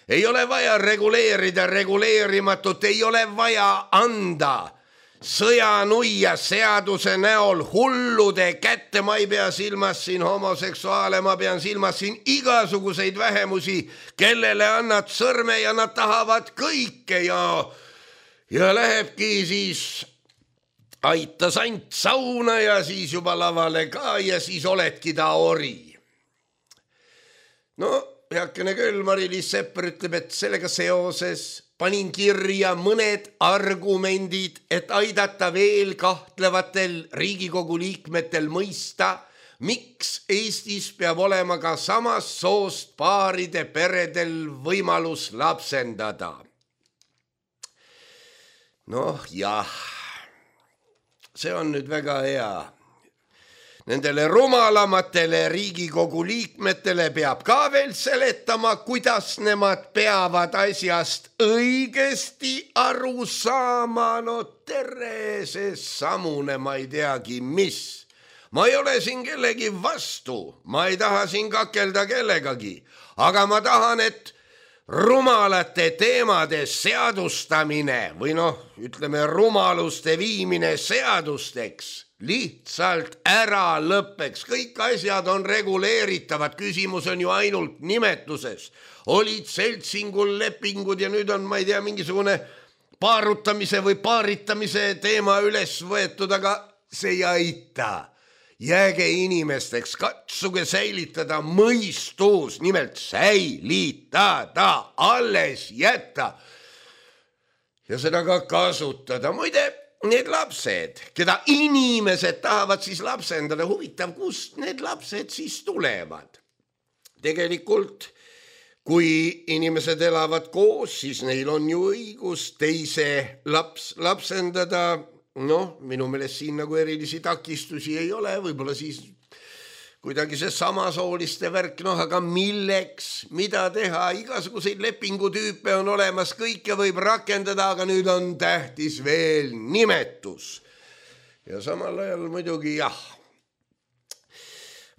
C: ei ole vaja reguleerida reguleerimatut, ei ole vaja anda sõjanuia seaduse näol hullude kätte. Ma ei pea silmas siin homoseksuaale, ma pean silmas siin igasuguseid vähemusi, kellele annad sõrme ja nad tahavad kõike ja, ja lähebki siis aita sant sauna ja siis juba lavale ka ja siis oledki ta ori. No, heakene küll, Mari-Liis Sepper ütleb, et sellega seoses panin kirja mõned argumendid, et aidata veel kahtlevatel Riigikogu liikmetel mõista, miks Eestis peab olema ka samast soost paaride peredel võimalus lapsendada. Noh, jah, see on nüüd väga hea. Nendele rumalamatele Riigikogu liikmetele peab ka veel seletama, kuidas nemad peavad asjast õigesti aru saama. No tere, see samune, ma ei teagi, mis. Ma ei ole siin kellegi vastu, ma ei taha siin kakelda kellegagi, aga ma tahan, et rumalate teemade seadustamine või noh, ütleme rumaluste viimine seadusteks lihtsalt ära lõppeks. Kõik asjad on reguleeritavad, küsimus on ju ainult nimetuses. Olid seltsingul lepingud ja nüüd on, ma ei tea, mingisugune paarutamise või paaritamise teema üles võetud, aga see ei aita. Jääge inimesteks, katsuge säilitada mõistus, nimelt säilitada, alles jätta ja seda ka kasutada. Muide, need lapsed, keda inimesed tahavad siis lapsendada, huvitav, kust need lapsed siis tulevad? Tegelikult, kui inimesed elavad koos, siis neil on ju õigus teise laps, lapsendada. Noh, minu meelest siin nagu erilisi takistusi ei ole, võib-olla siis kuidagi see samasooliste värk, noh, aga milleks, mida teha, igasuguseid lepingutüüpe on olemas, kõike võib rakendada, aga nüüd on tähtis veel nimetus. Ja samal ajal muidugi jah,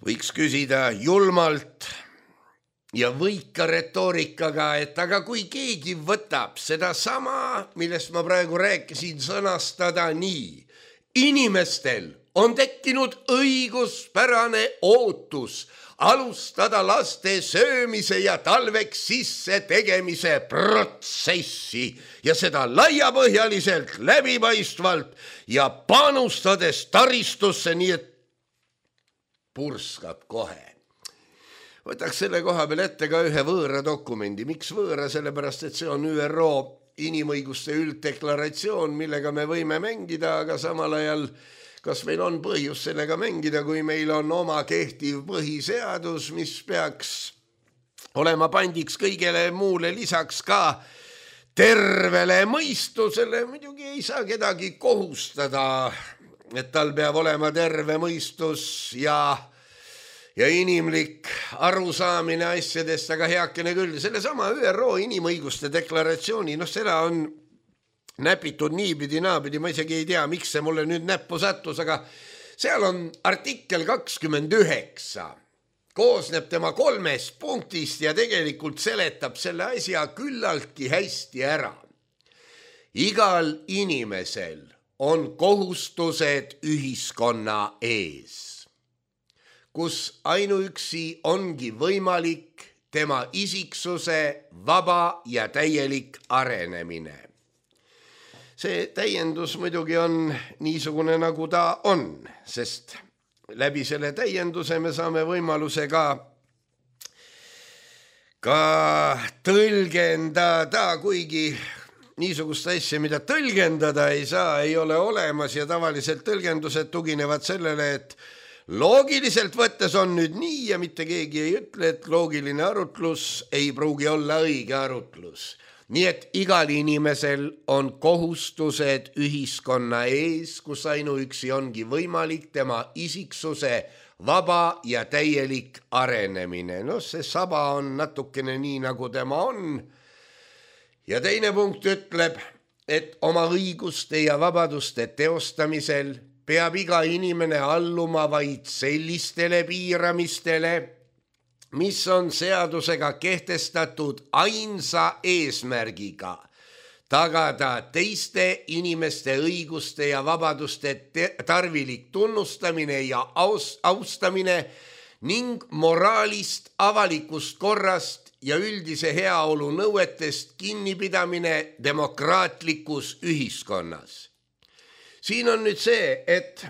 C: võiks küsida julmalt ja võika retoorikaga, et aga kui keegi võtab seda sama, millest ma praegu rääkisin, sõnastada nii. Inimestel on tekkinud õiguspärane ootus alustada laste söömise ja talveks sisse tegemise protsessi ja seda laiapõhjaliselt, läbipaistvalt ja panustades taristusse, nii et purskab kohe. Võtaks selle koha peal ette ka ühe võõra dokumendi. Miks võõra? Sellepärast, et see on Ü R O inimõiguste ülddeklaratsioon, millega me võime mängida, aga samal ajal kas meil on põhjus sellega mängida, kui meil on oma kehtiv põhiseadus, mis peaks olema pandiks kõigele muule lisaks ka tervele mõistusele. Muidugi ei saa kedagi kohustada, et tal peab olema terve mõistus ja ja inimlik arusaamine asjadest, aga heakene küll. Selle sama Ü R O inimõiguste deklaratsiooni, noh seda on näpitud niipidi naapidi, ma isegi ei tea, miks see mulle nüüd näppu sattus, aga seal on artikkel kakskümmend üheksa, koosneb tema kolmest punktist ja tegelikult seletab selle asja küllaltki hästi ära. Igal inimesel on kohustused ühiskonna ees, kus ainuüksi ongi võimalik tema isiksuse vaba ja täielik arenemine. See täiendus muidugi on niisugune, nagu ta on, sest läbi selle täienduse me saame võimaluse ka, ka tõlgendada, kuigi niisugust asja, mida tõlgendada ei saa, ei ole olemas ja tavaliselt tõlgendused tuginevad sellele, et loogiliselt võttes on nüüd nii ja mitte keegi ei ütle, et loogiline arutlus ei pruugi olla õige arutlus. Nii et igal inimesel on kohustused ühiskonna ees, kus ainuüksi ongi võimalik tema isiksuse vaba ja täielik arenemine. No see saba on natukene nii, nagu tema on. Ja teine punkt ütleb, et oma õiguste ja vabaduste teostamisel peab iga inimene alluma vaid sellistele piiramistele, mis on seadusega kehtestatud ainsa eesmärgiga tagada teiste inimeste õiguste ja vabaduste tarvilik tunnustamine ja aus, austamine ning moraalist, avalikust korrast ja üldise heaolu nõuetest kinnipidamine demokraatlikus ühiskonnas. Siin on nüüd see, et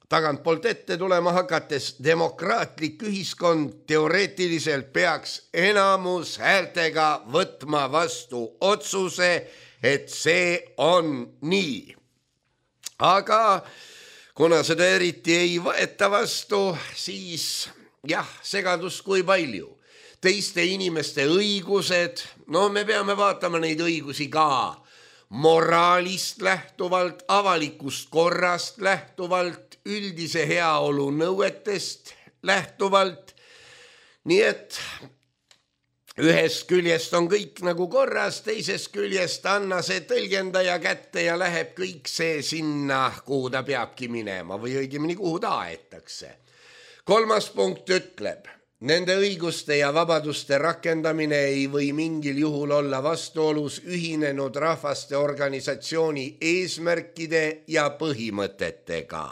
C: tagantpoolt ette tulema hakates demokraatlik ühiskond teoreetiliselt peaks enamus häältega võtma vastu otsuse, et see on nii. Aga kuna seda eriti ei võeta vastu, siis jah, segadus kui palju. Teiste inimeste õigused, no me peame vaatama neid õigusi ka moraalist lähtuvalt, avalikust korrast lähtuvalt, üldise heaolu nõuetest lähtuvalt. Nii et ühest küljest on kõik nagu korras, teisest küljest anna see tõlgendaja kätte ja läheb kõik see sinna, kuhu ta peabki minema või õigemini kuhu ta aetakse. Kolmas punkt ütleb, nende õiguste ja vabaduste rakendamine ei või mingil juhul olla vastuolus ühinenud rahvaste organisatsiooni eesmärkide ja põhimõtetega.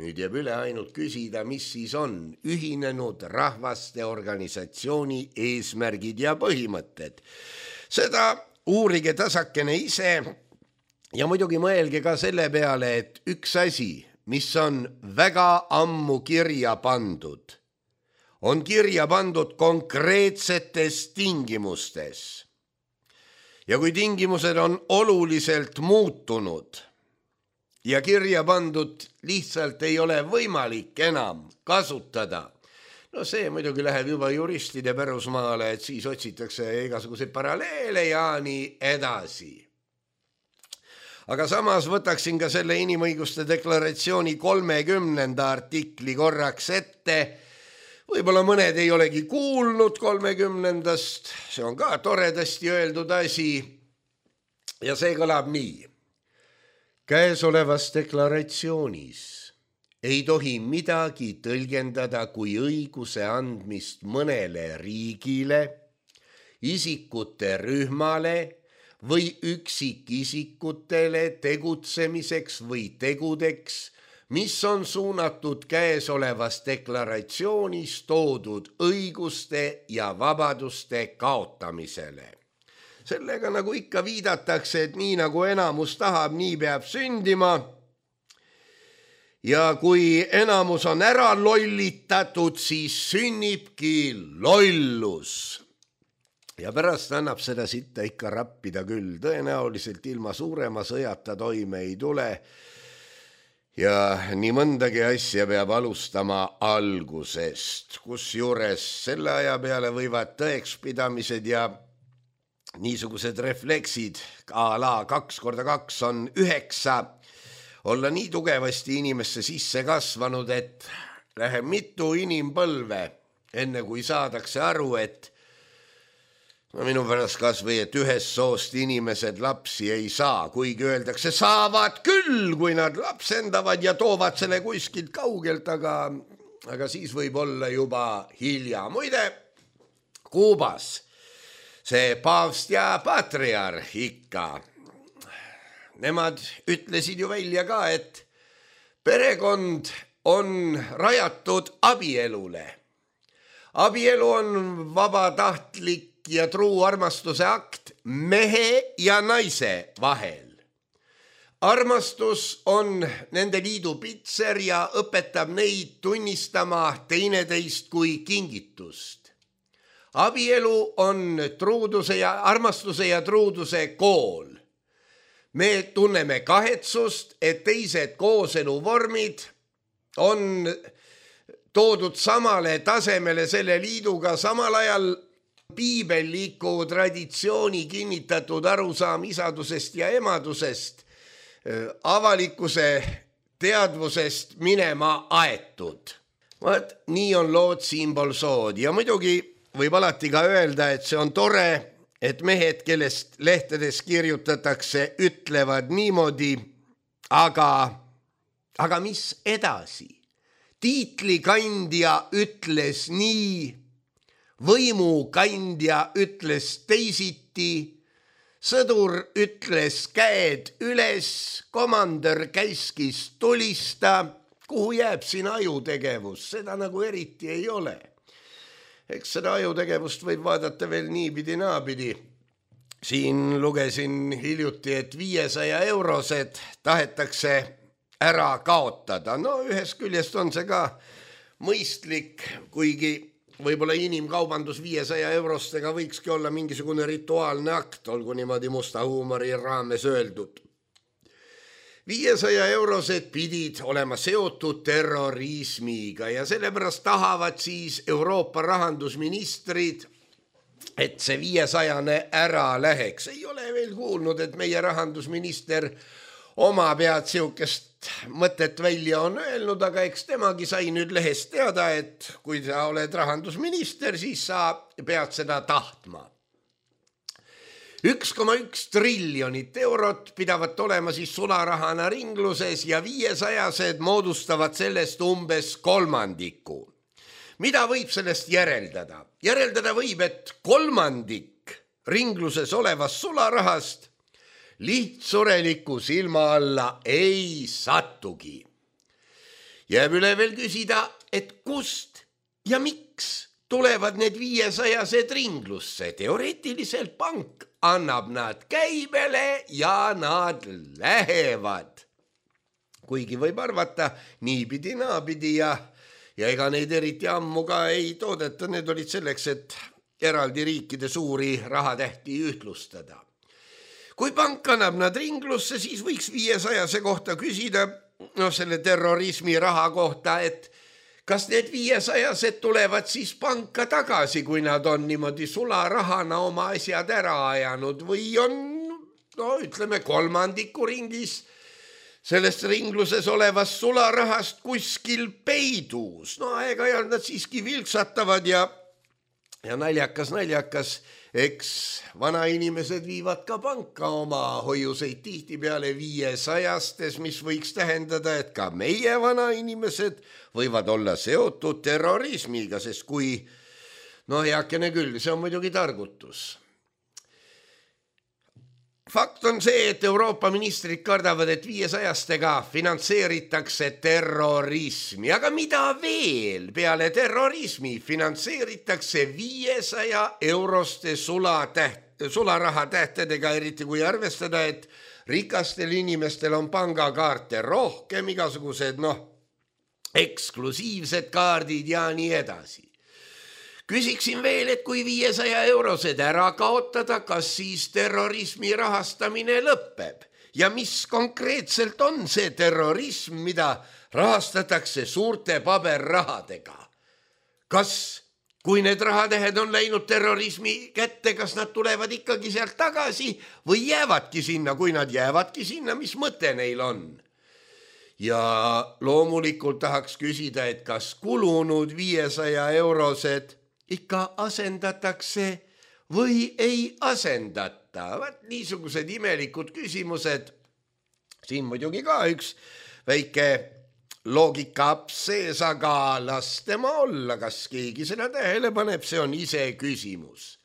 C: Nüüd jääb üle ainult küsida, mis siis on ühinenud rahvaste organisatsiooni eesmärgid ja põhimõtted. Seda uurige tasakene ise ja muidugi mõelge ka selle peale, et üks asi, mis on väga ammu kirja pandud, on kirja pandud konkreetsetes tingimustes. Ja kui tingimused on oluliselt muutunud ja kirja pandud lihtsalt ei ole võimalik enam kasutada, no see muidugi läheb juba juristide pärusmaale, et siis otsitakse igasuguseid paralleele ja nii edasi. Aga samas võtaksin ka selle inimõiguste deklaratsiooni kolmekümnenda artikli korraks ette. Võib-olla mõned ei olegi kuulnud kolmekümnendast, see on ka toredasti öeldud asi ja see kõlab nii. Käesolevas deklaratsioonis ei tohi midagi tõlgendada kui õiguse andmist mõnele riigile, isikute rühmale või üksikisikutele tegutsemiseks või tegudeks, mis on suunatud käesolevas deklaratsioonis toodud õiguste ja vabaduste kaotamisele. Sellega nagu ikka viidatakse, et nii nagu enamus tahab, nii peab sündima. Ja kui enamus on ära lollitatud, siis sünnibki lollus. Ja pärast annab seda sitta ikka rappida küll. Tõenäoliselt ilma suurema sõjata toime ei tule. Ja nii mõndagi asja peab alustama algusest, kus juures selle aja peale võivad tõekspidamised ja niisugused refleksid, a la kaks korda kaks on üheksa, olla nii tugevasti inimesse sisse kasvanud, et läheb mitu inimpõlve, enne kui saadakse aru, et no minu pärast kas või, et ühest soost inimesed lapsi ei saa, kuigi öeldakse, saavad küll, kui nad lapsendavad ja toovad selle kuskilt kaugelt, aga, aga siis võib olla juba hilja. Muide, Kuubas see paavst ja patriarh ikka, nemad ütlesid ju välja ka, et perekond on rajatud abielule. Abielu on vabatahtlik ja truu armastuse akt mehe ja naise vahel. Armastus on nende liidu pitser ja õpetab neid tunnistama teineteist kui kingitust. Abielu on truuduse ja armastuse ja truuduse kool. Me tunneme kahetsust, et teised kooseluvormid on toodud samale tasemele selle liiduga, samal ajal piibelliku traditsiooni kinnitatud arusaam isadusest ja emadusest avalikkuse teadvusest minema aetud. Vaat, nii on lood siinpool sood ja muidugi võib alati ka öelda, et see on tore, et mehed, kellest lehtedes kirjutatakse, ütlevad niimoodi, aga, aga mis edasi? Tiitlikandja ütles nii, võimukandja ütles teisiti, sõdur ütles käed üles, komandör käskis tulista, kuhu jääb siin ajutegevus, seda nagu eriti ei ole. Eks seda ajutegevust võib vaadata veel niipidi naapidi. Siin lugesin hiljuti, et viiesaja eurosed tahetakse ära kaotada. No ühest küljest on see ka mõistlik, kuigi võib-olla inimkaubandus viiesaja eurostega võikski olla mingisugune rituaalne akt, olgu niimoodi musta huumori raames öeldud. viiesaja eurosed pidid olema seotud terrorismiga ja sellepärast tahavad siis Euroopa rahandusministrid, et see viiesajane ära läheks. Ei ole veel kuulnud, et meie rahandusminister oma pead siukest mõtet välja on öelnud, aga eks temagi sai nüüd lehest teada, et kui sa oled rahandusminister, siis sa pead seda tahtma. üks koma üks triljonit eurot pidavat olema siis sularahana ringluses ja viiesajased moodustavad sellest umbes kolmandiku. Mida võib sellest järeldada? Järeldada võib, et kolmandik ringluses olevast sularahast lihtsureliku silma alla ei sattugi. Jääb üle veel küsida, et kust ja miks tulevad need viiesajased ringlusse. Teoreetiliselt pank annab nad käibele ja nad lähevad. Kuigi võib arvata niipidi naapidi ja, ja ega neid eriti ammu ka ei toodeta. Need olid selleks, et eraldi riikide suuri rahatähti ühtlustada. Kui pank annab nad ringlusse, siis võiks viiesajase kohta küsida, no selle terrorismi raha kohta, et kas need viiesajased tulevad siis panka tagasi, kui nad on niimoodi sularahana oma asjad ära ajanud või on, no ütleme, kolmandiku ringis sellest ringluses olevast sularahast kuskil peidus. No aeg-ajalt nad siiski vilksatavad ja, ja naljakas, naljakas, eks vanainimesed viivad ka panka oma hoiuseid tihtipeale viiesajastes, mis võiks tähendada, et ka meie vanainimesed võivad olla seotud terrorismiga, sest kui, no heakene küll, see on muidugi targutus. Fakt on see, et Euroopa ministrid kardavad, et viiesajastega finantseeritakse terrorismi. Aga mida veel peale terrorismi finantseeritakse viiesaja euroste sulatäht, sularaha tähtedega, eriti kui arvestada, et rikastel inimestel on pangakaarte rohkem, igasugused, noh, eksklusiivsed kaardid ja nii edasi. Küsiksin veel, et kui viiesaja eurosed ära kaotada, kas siis terrorismi rahastamine lõpeb? Ja mis konkreetselt on see terrorism, mida rahastatakse suurte paberrahadega? Kas, kui need rahatähed on läinud terrorismi kätte, kas nad tulevad ikkagi sealt tagasi või jäävadki sinna? Kui nad jäävadki sinna, mis mõte neil on? Ja loomulikult tahaks küsida, et kas kulunud viiesaja eurosed ikka asendatakse või ei asendata. Vaat niisugused imelikud küsimused. Siin muidugi ka üks väike loogikaaps sees, aga las tema olla, kas keegi seda tähele paneb, see on ise küsimus.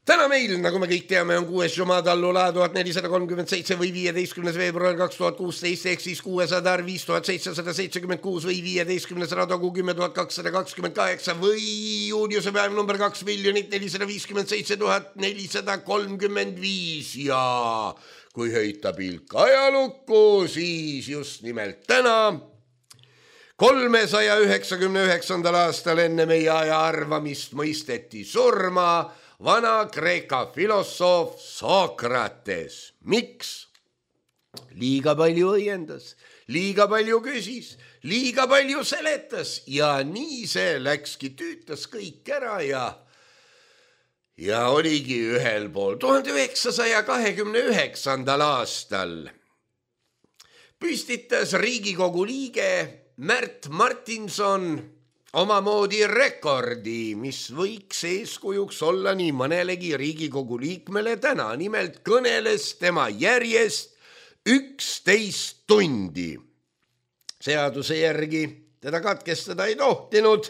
C: Täna meil, nagu me kõik teame, on kuues Jumadallula tuhat nelisada kolmkümmend seitse või viieteistkümnes veebruar kaks tuhat kuusteist ehk siis kuuesada viis tuhat seitsesada seitsekümmend kuus või viieteistkümnes Radogu kümme tuhat kakssada kakskümmend kaheksa või juuniuse päev number kaks miljonit nelisada viiskümmend seitse tuhat nelisada kolmkümmend viis ja kui heita pilk ajalukku, siis just nimelt täna kolmesaja üheksakümne üheksandal aastal enne meie aja arvamist mõisteti surma Vana-Kreeka filosoof Sokrates. Miks? Liiga palju õiendas, liiga palju küsis, liiga palju seletas ja nii see läkski, tüütas kõik ära ja, ja oligi ühel pool. tuhande üheksasaja kahekümne üheksandal aastal püstitas Riigikogu liige Märt Martinson omamoodi rekordi, mis võiks eeskujuks olla nii mõnelegi Riigikogu liikmele täna. Nimelt kõneles tema järjest üksteist tundi. Seaduse järgi teda katkestada ei tohtinud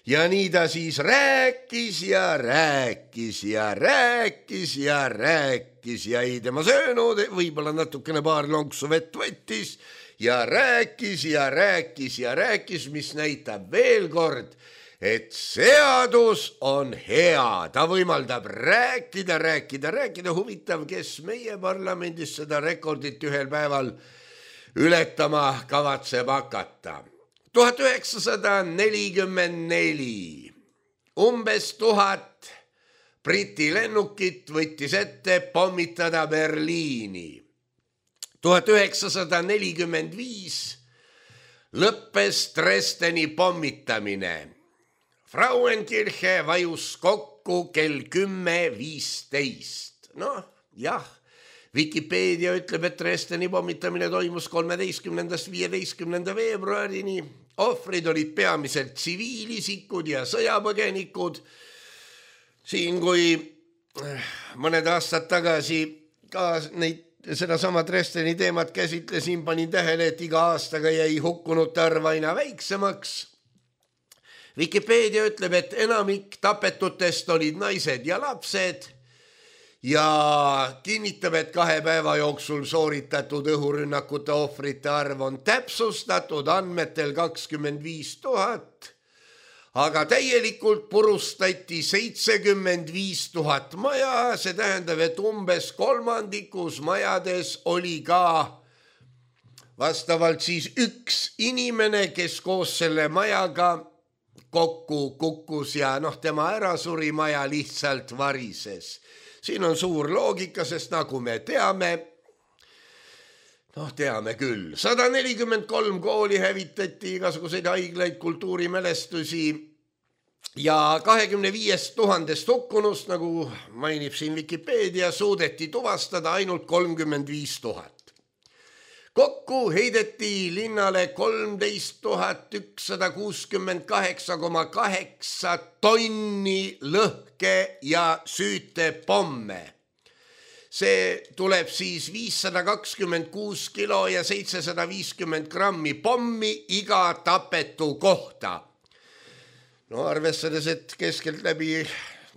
C: ja nii ta siis rääkis ja rääkis ja rääkis ja rääkis ja ei tema söönud, võib-olla natukene paar lonksu vett võttis ja rääkis ja rääkis ja rääkis, mis näitab veel kord, et seadus on hea, ta võimaldab rääkida, rääkida, rääkida. Huvitav, kes meie parlamendis seda rekordit ühel päeval ületama kavatseb hakata. tuhat üheksasada nelikümmend neli. Umbes tuhat Briti lennukit võttis ette pommitada Berliini. tuhat üheksasada nelikümmend viis lõppes Dresdeni pommitamine. Frauenkirche vajus kokku kell kümme viisteist. Noh, jah, Wikipedia ütleb, et Dresdeni pommitamine toimus kolmeteistkümnendast viieteistkümnenda veebruarini. Ohvrid olid peamiselt tsiviilisikud ja sõjapõgenikud. Siin, kui mõned aastad tagasi ka neid, seda sama Dresdeni teemat käsitlesin, panin tähele, et iga aastaga jäi hukkunute arv aina väiksemaks. Wikipedia ütleb, et enamik tapetutest olid naised ja lapsed ja kinnitab, et kahe päeva jooksul sooritatud õhurünnakute ohvrite arv on täpsustatud andmetel kakskümmend viis tuhat, aga täielikult purustati seitsekümmend viis tuhat maja, see tähendab, et umbes kolmandikus majades oli ka vastavalt siis üks inimene, kes koos selle majaga kokku kukkus ja noh, tema ära suri, maja lihtsalt varises. Siin on suur loogika, sest nagu me teame, noh teame küll, sada nelikümmend kolm kooli hävitati, igasuguseid haiglaid, kultuurimälestusi ja kahekümne viiest tuhandest hukkunust, nagu mainib siin Wikipedia, suudeti tuvastada ainult kolmkümmend viis tuhat. Kokku heideti linnale kolmteist tuhat ükssada kuuskümmend kaheksa koma kaheksa tonni lõhke ja süütepomme. See tuleb siis viissada kakskümmend kuus kilo ja seitsesada viiskümmend grammi pommi iga tapetu kohta. No arvestades, et keskelt läbi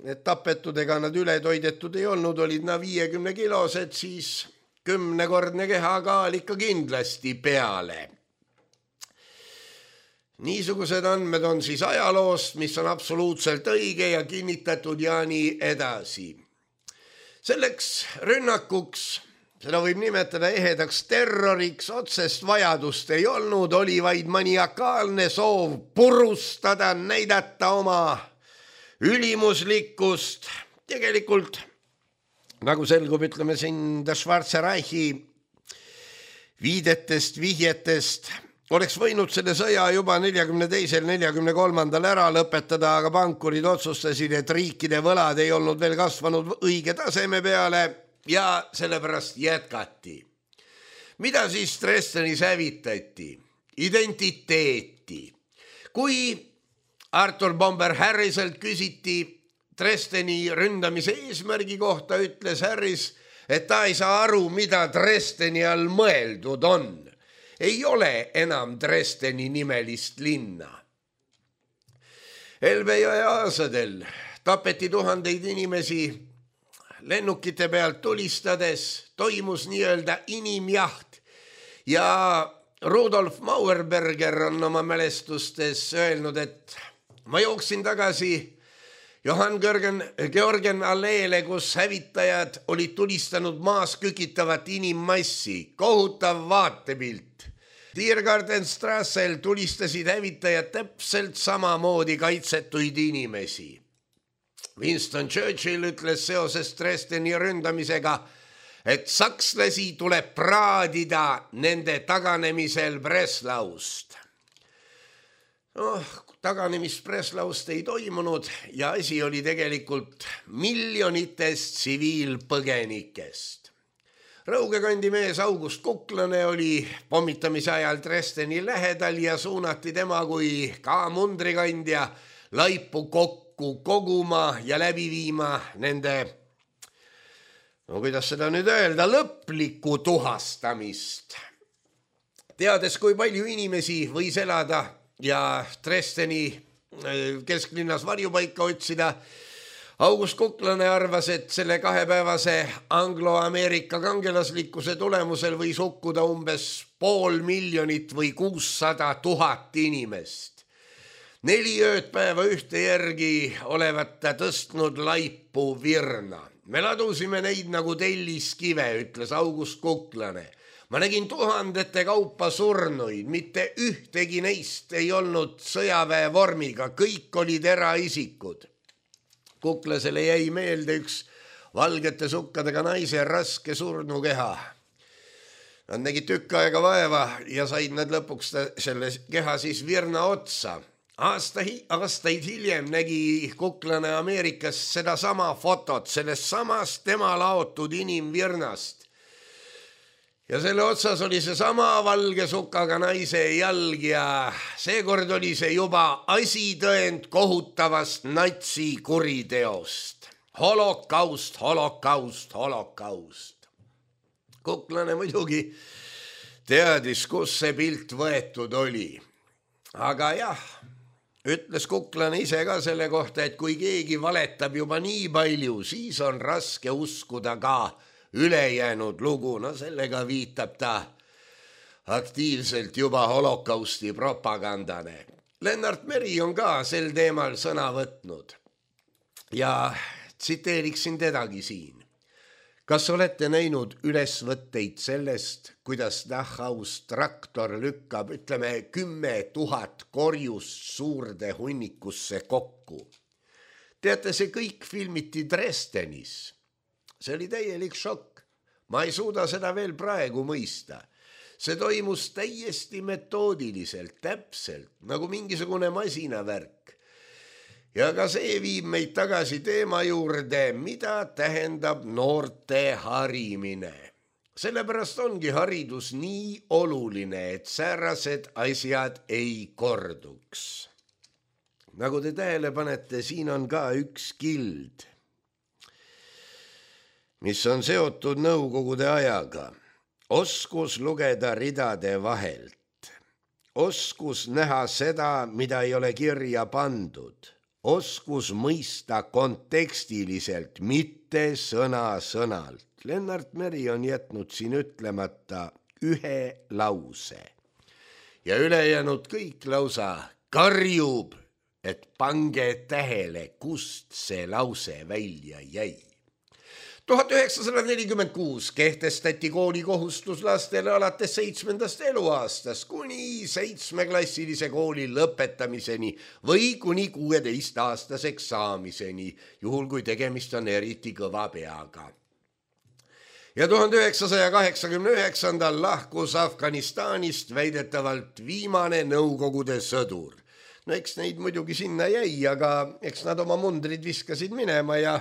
C: need tapetudega nad üle toidetud ei olnud, olid nad viiekümne kilosed, siis kümnekordne kehakaal ikka kindlasti peale. Niisugused andmed on siis ajaloost, mis on absoluutselt õige ja kinnitatud ja nii edasi. Selleks rünnakuks, seda võib nimetada ehedaks terroriks, otsest vajadust ei olnud, oli vaid maniakaalne soov purustada, näidata oma ülimuslikkust. Tegelikult nagu selgub, ütleme siin Der Schwarze Reichi viidetest, vihjetest, oleks võinud selle sõja juba neljakümne teisel, neljakümne kolmandal ära lõpetada, aga pankurid otsustasid, et riikide võlad ei olnud veel kasvanud õige taseme peale ja sellepärast jätkati. Mida siis Dresdenis hävitati? Identiteeti. Kui Arthur Bomber Harriselt küsiti Dresdeni ründamise eesmärgi kohta, ütles Harris, et ta ei saa aru, mida Dresdeni all mõeldud on. Ei ole enam Dresdeni nimelist linna. Elbe jõe aasadel tapeti tuhandeid inimesi lennukite pealt tulistades, toimus nii-öelda inimjaht ja Rudolf Mauerberger on oma mälestustes öelnud, et ma jooksin tagasi Johann Georgen alleele, kus hävitajad olid tulistanud maas kükitavat inimmassi. Kohutav vaatepilt. Tiergartenstrassel tulistasid hävitajad täpselt samamoodi kaitsetuid inimesi. Winston Churchill ütles seoses Dresdeni ründamisega, et sakslasi tuleb praadida nende taganemisel Breslaust. Noh, taganemist Breslaust ei toimunud ja asi oli tegelikult miljonitest tsiviilpõgenikest. Rõugekandi mees August Kuklane oli pommitamise ajal Dresdeni lähedal ja suunati tema kui ka mundrikandja laipu kokku koguma ja läbi viima nende, no kuidas seda nüüd öelda, lõplikku tuhastamist. Teades, kui palju inimesi võis elada ja Dresdeni kesklinnas varjupaika otsida. August Kuklane arvas, et selle kahepäevase anglo-Ameerika kangelaslikkuse tulemusel võis hukkuda umbes pool miljonit või kuussada tuhat inimest. Neli öödpäeva ühte järgi olevat ta tõstnud laipu virna. Me ladusime neid nagu telliskive, ütles August Kuklane. Ma nägin tuhandete kaupa surnuid, mitte ühtegi neist ei olnud sõjaväe vormiga, kõik olid eraisikud. Kuklasele jäi meelde üks valgete sukkadega naise raske surnukeha. Nad nägid tükk aega vaeva ja said nad lõpuks selle keha siis virna otsa. Aasta, aastaid hiljem nägi Kuklane Ameerikas seda sama fotot, sellest samast tema laotud inimvirnast. Ja selle otsas oli see sama valge sukaga naise jalg ja seekord oli see juba asitõend kohutavast natsi kuriteost. Holokaust, holokaust, holokaust. Kuklane muidugi teadis, kus see pilt võetud oli. Aga jah, ütles Kuklane ise ka selle kohta, et kui keegi valetab juba nii palju, siis on raske uskuda ka ülejäänud lugu, no sellega viitab ta aktiivselt juba holokausti propagandane. Lennart Meri on ka sel teemal sõna võtnud ja tsiteeriksin tedagi siin. Kas olete näinud ülesvõtteid sellest, kuidas Dachhaus traktor lükkab, ütleme, kümme tuhat korjust suurde hunnikusse kokku? Teate, see kõik filmiti Dresdenis. See oli täielik šokk. Ma ei suuda seda veel praegu mõista. See toimus täiesti metoodiliselt, täpselt, nagu mingisugune masinavärk. Ja ka see viib meid tagasi teema juurde, mida tähendab noorte harimine. Sellepärast ongi haridus nii oluline, et säärased asjad ei korduks. Nagu te tähele panete, siin on ka üks kild, mis on seotud nõukogude ajaga. Oskus lugeda ridade vahelt. Oskus näha seda, mida ei ole kirja pandud. Oskus mõista kontekstiliselt, mitte sõna sõnalt. Lennart Meri on jätnud siin ütlemata ühe lause. Ja ülejäänud kõik lausa karjub, et pange tähele, kust see lause välja jäi. tuhat üheksasada nelikümmend kuus kehtestati koolikohustus lastele alates seitsmendast eluaastast kuni seitsmeklassilise kooli lõpetamiseni või kuni kuueteistaastaseks saamiseni, juhul kui tegemist on eriti kõva peaga. Ja tuhande üheksasaja kaheksakümne üheksandal lahkus Afganistanist väidetavalt viimane Nõukogude sõdur. No eks neid muidugi sinna jäi, aga eks nad oma mundrid viskasid minema ja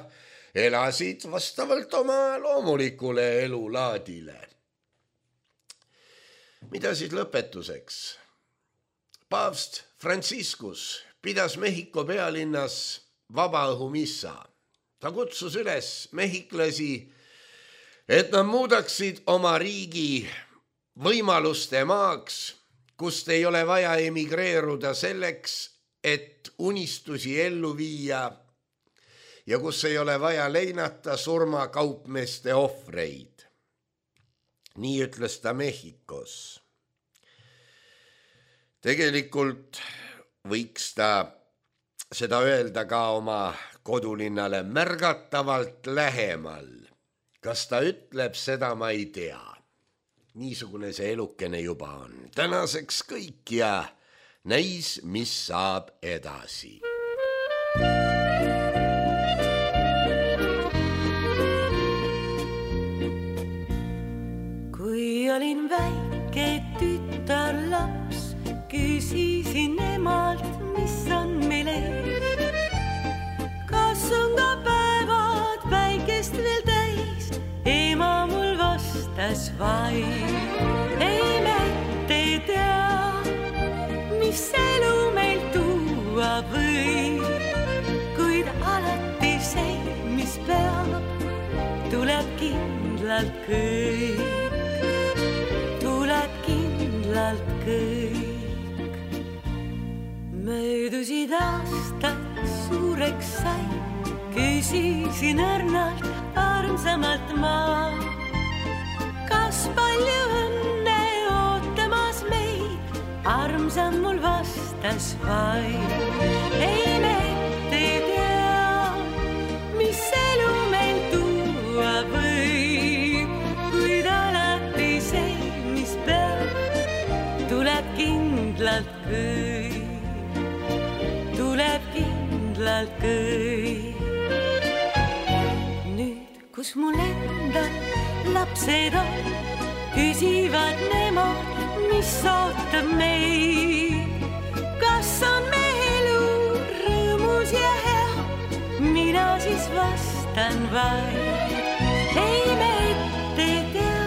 C: elasid vastavalt oma loomulikule elulaadile. Mida siis lõpetuseks? Paavst Franciscus pidas Mehhiko pealinnas vabaõhumissa. Ta kutsus üles mehhiklasi, et nad muudaksid oma riigi võimaluste maaks, kust ei ole vaja emigreeruda selleks, et unistusi ellu viia ja kus ei ole vaja leinata surmakaupmeeste ohvreid. Nii ütles ta Mehhikos. Tegelikult võiks ta seda öelda ka oma kodulinnale märgatavalt lähemal. Kas ta ütleb seda, ma ei tea. Niisugune see elukene juba on. Tänaseks kõik ja näis, mis saab edasi.
D: Olin väike tütarlaps, küsisin emalt, mis on meil ees. Kas on ka päevad päikest veel täis? Ema mul vastas vaid, ei mitte tea, mis elu meil tuua võib. Kuid alati see, mis peab, tuleb kindlalt kõik. Kindlalt kõik. Möödu jõulusid aastad suureks sai, küsisin õrnalt armsamalt ma. Kas palju õnne ootamas meid, armsam mul vastas vaid. Ei need ei tea, mis elu meil tuua võib, kuid alati see, mis peab, tuleb kindlalt kõik, tuleb kindlalt kõik. Nüüd, kus mul endal lapsed on, küsivad nemad, mis ootab meid. Kas on me elu rõõmus ja hea, mina siis vastan vaid. Ei me ette tea,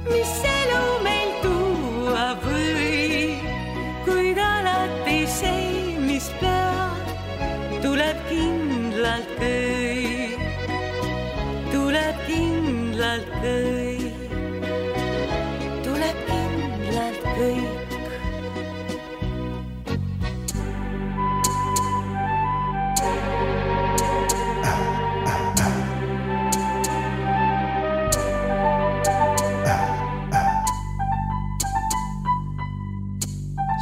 D: mis elu meil tuua võib, kuid alati see, mis peab, tuleb kindlalt kõik, tuleb kindlalt kõik, tuleb kindlalt kõik.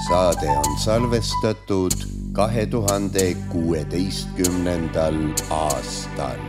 C: Saade on salvestatud kahe tuhande kuueteistkümnendal aastal.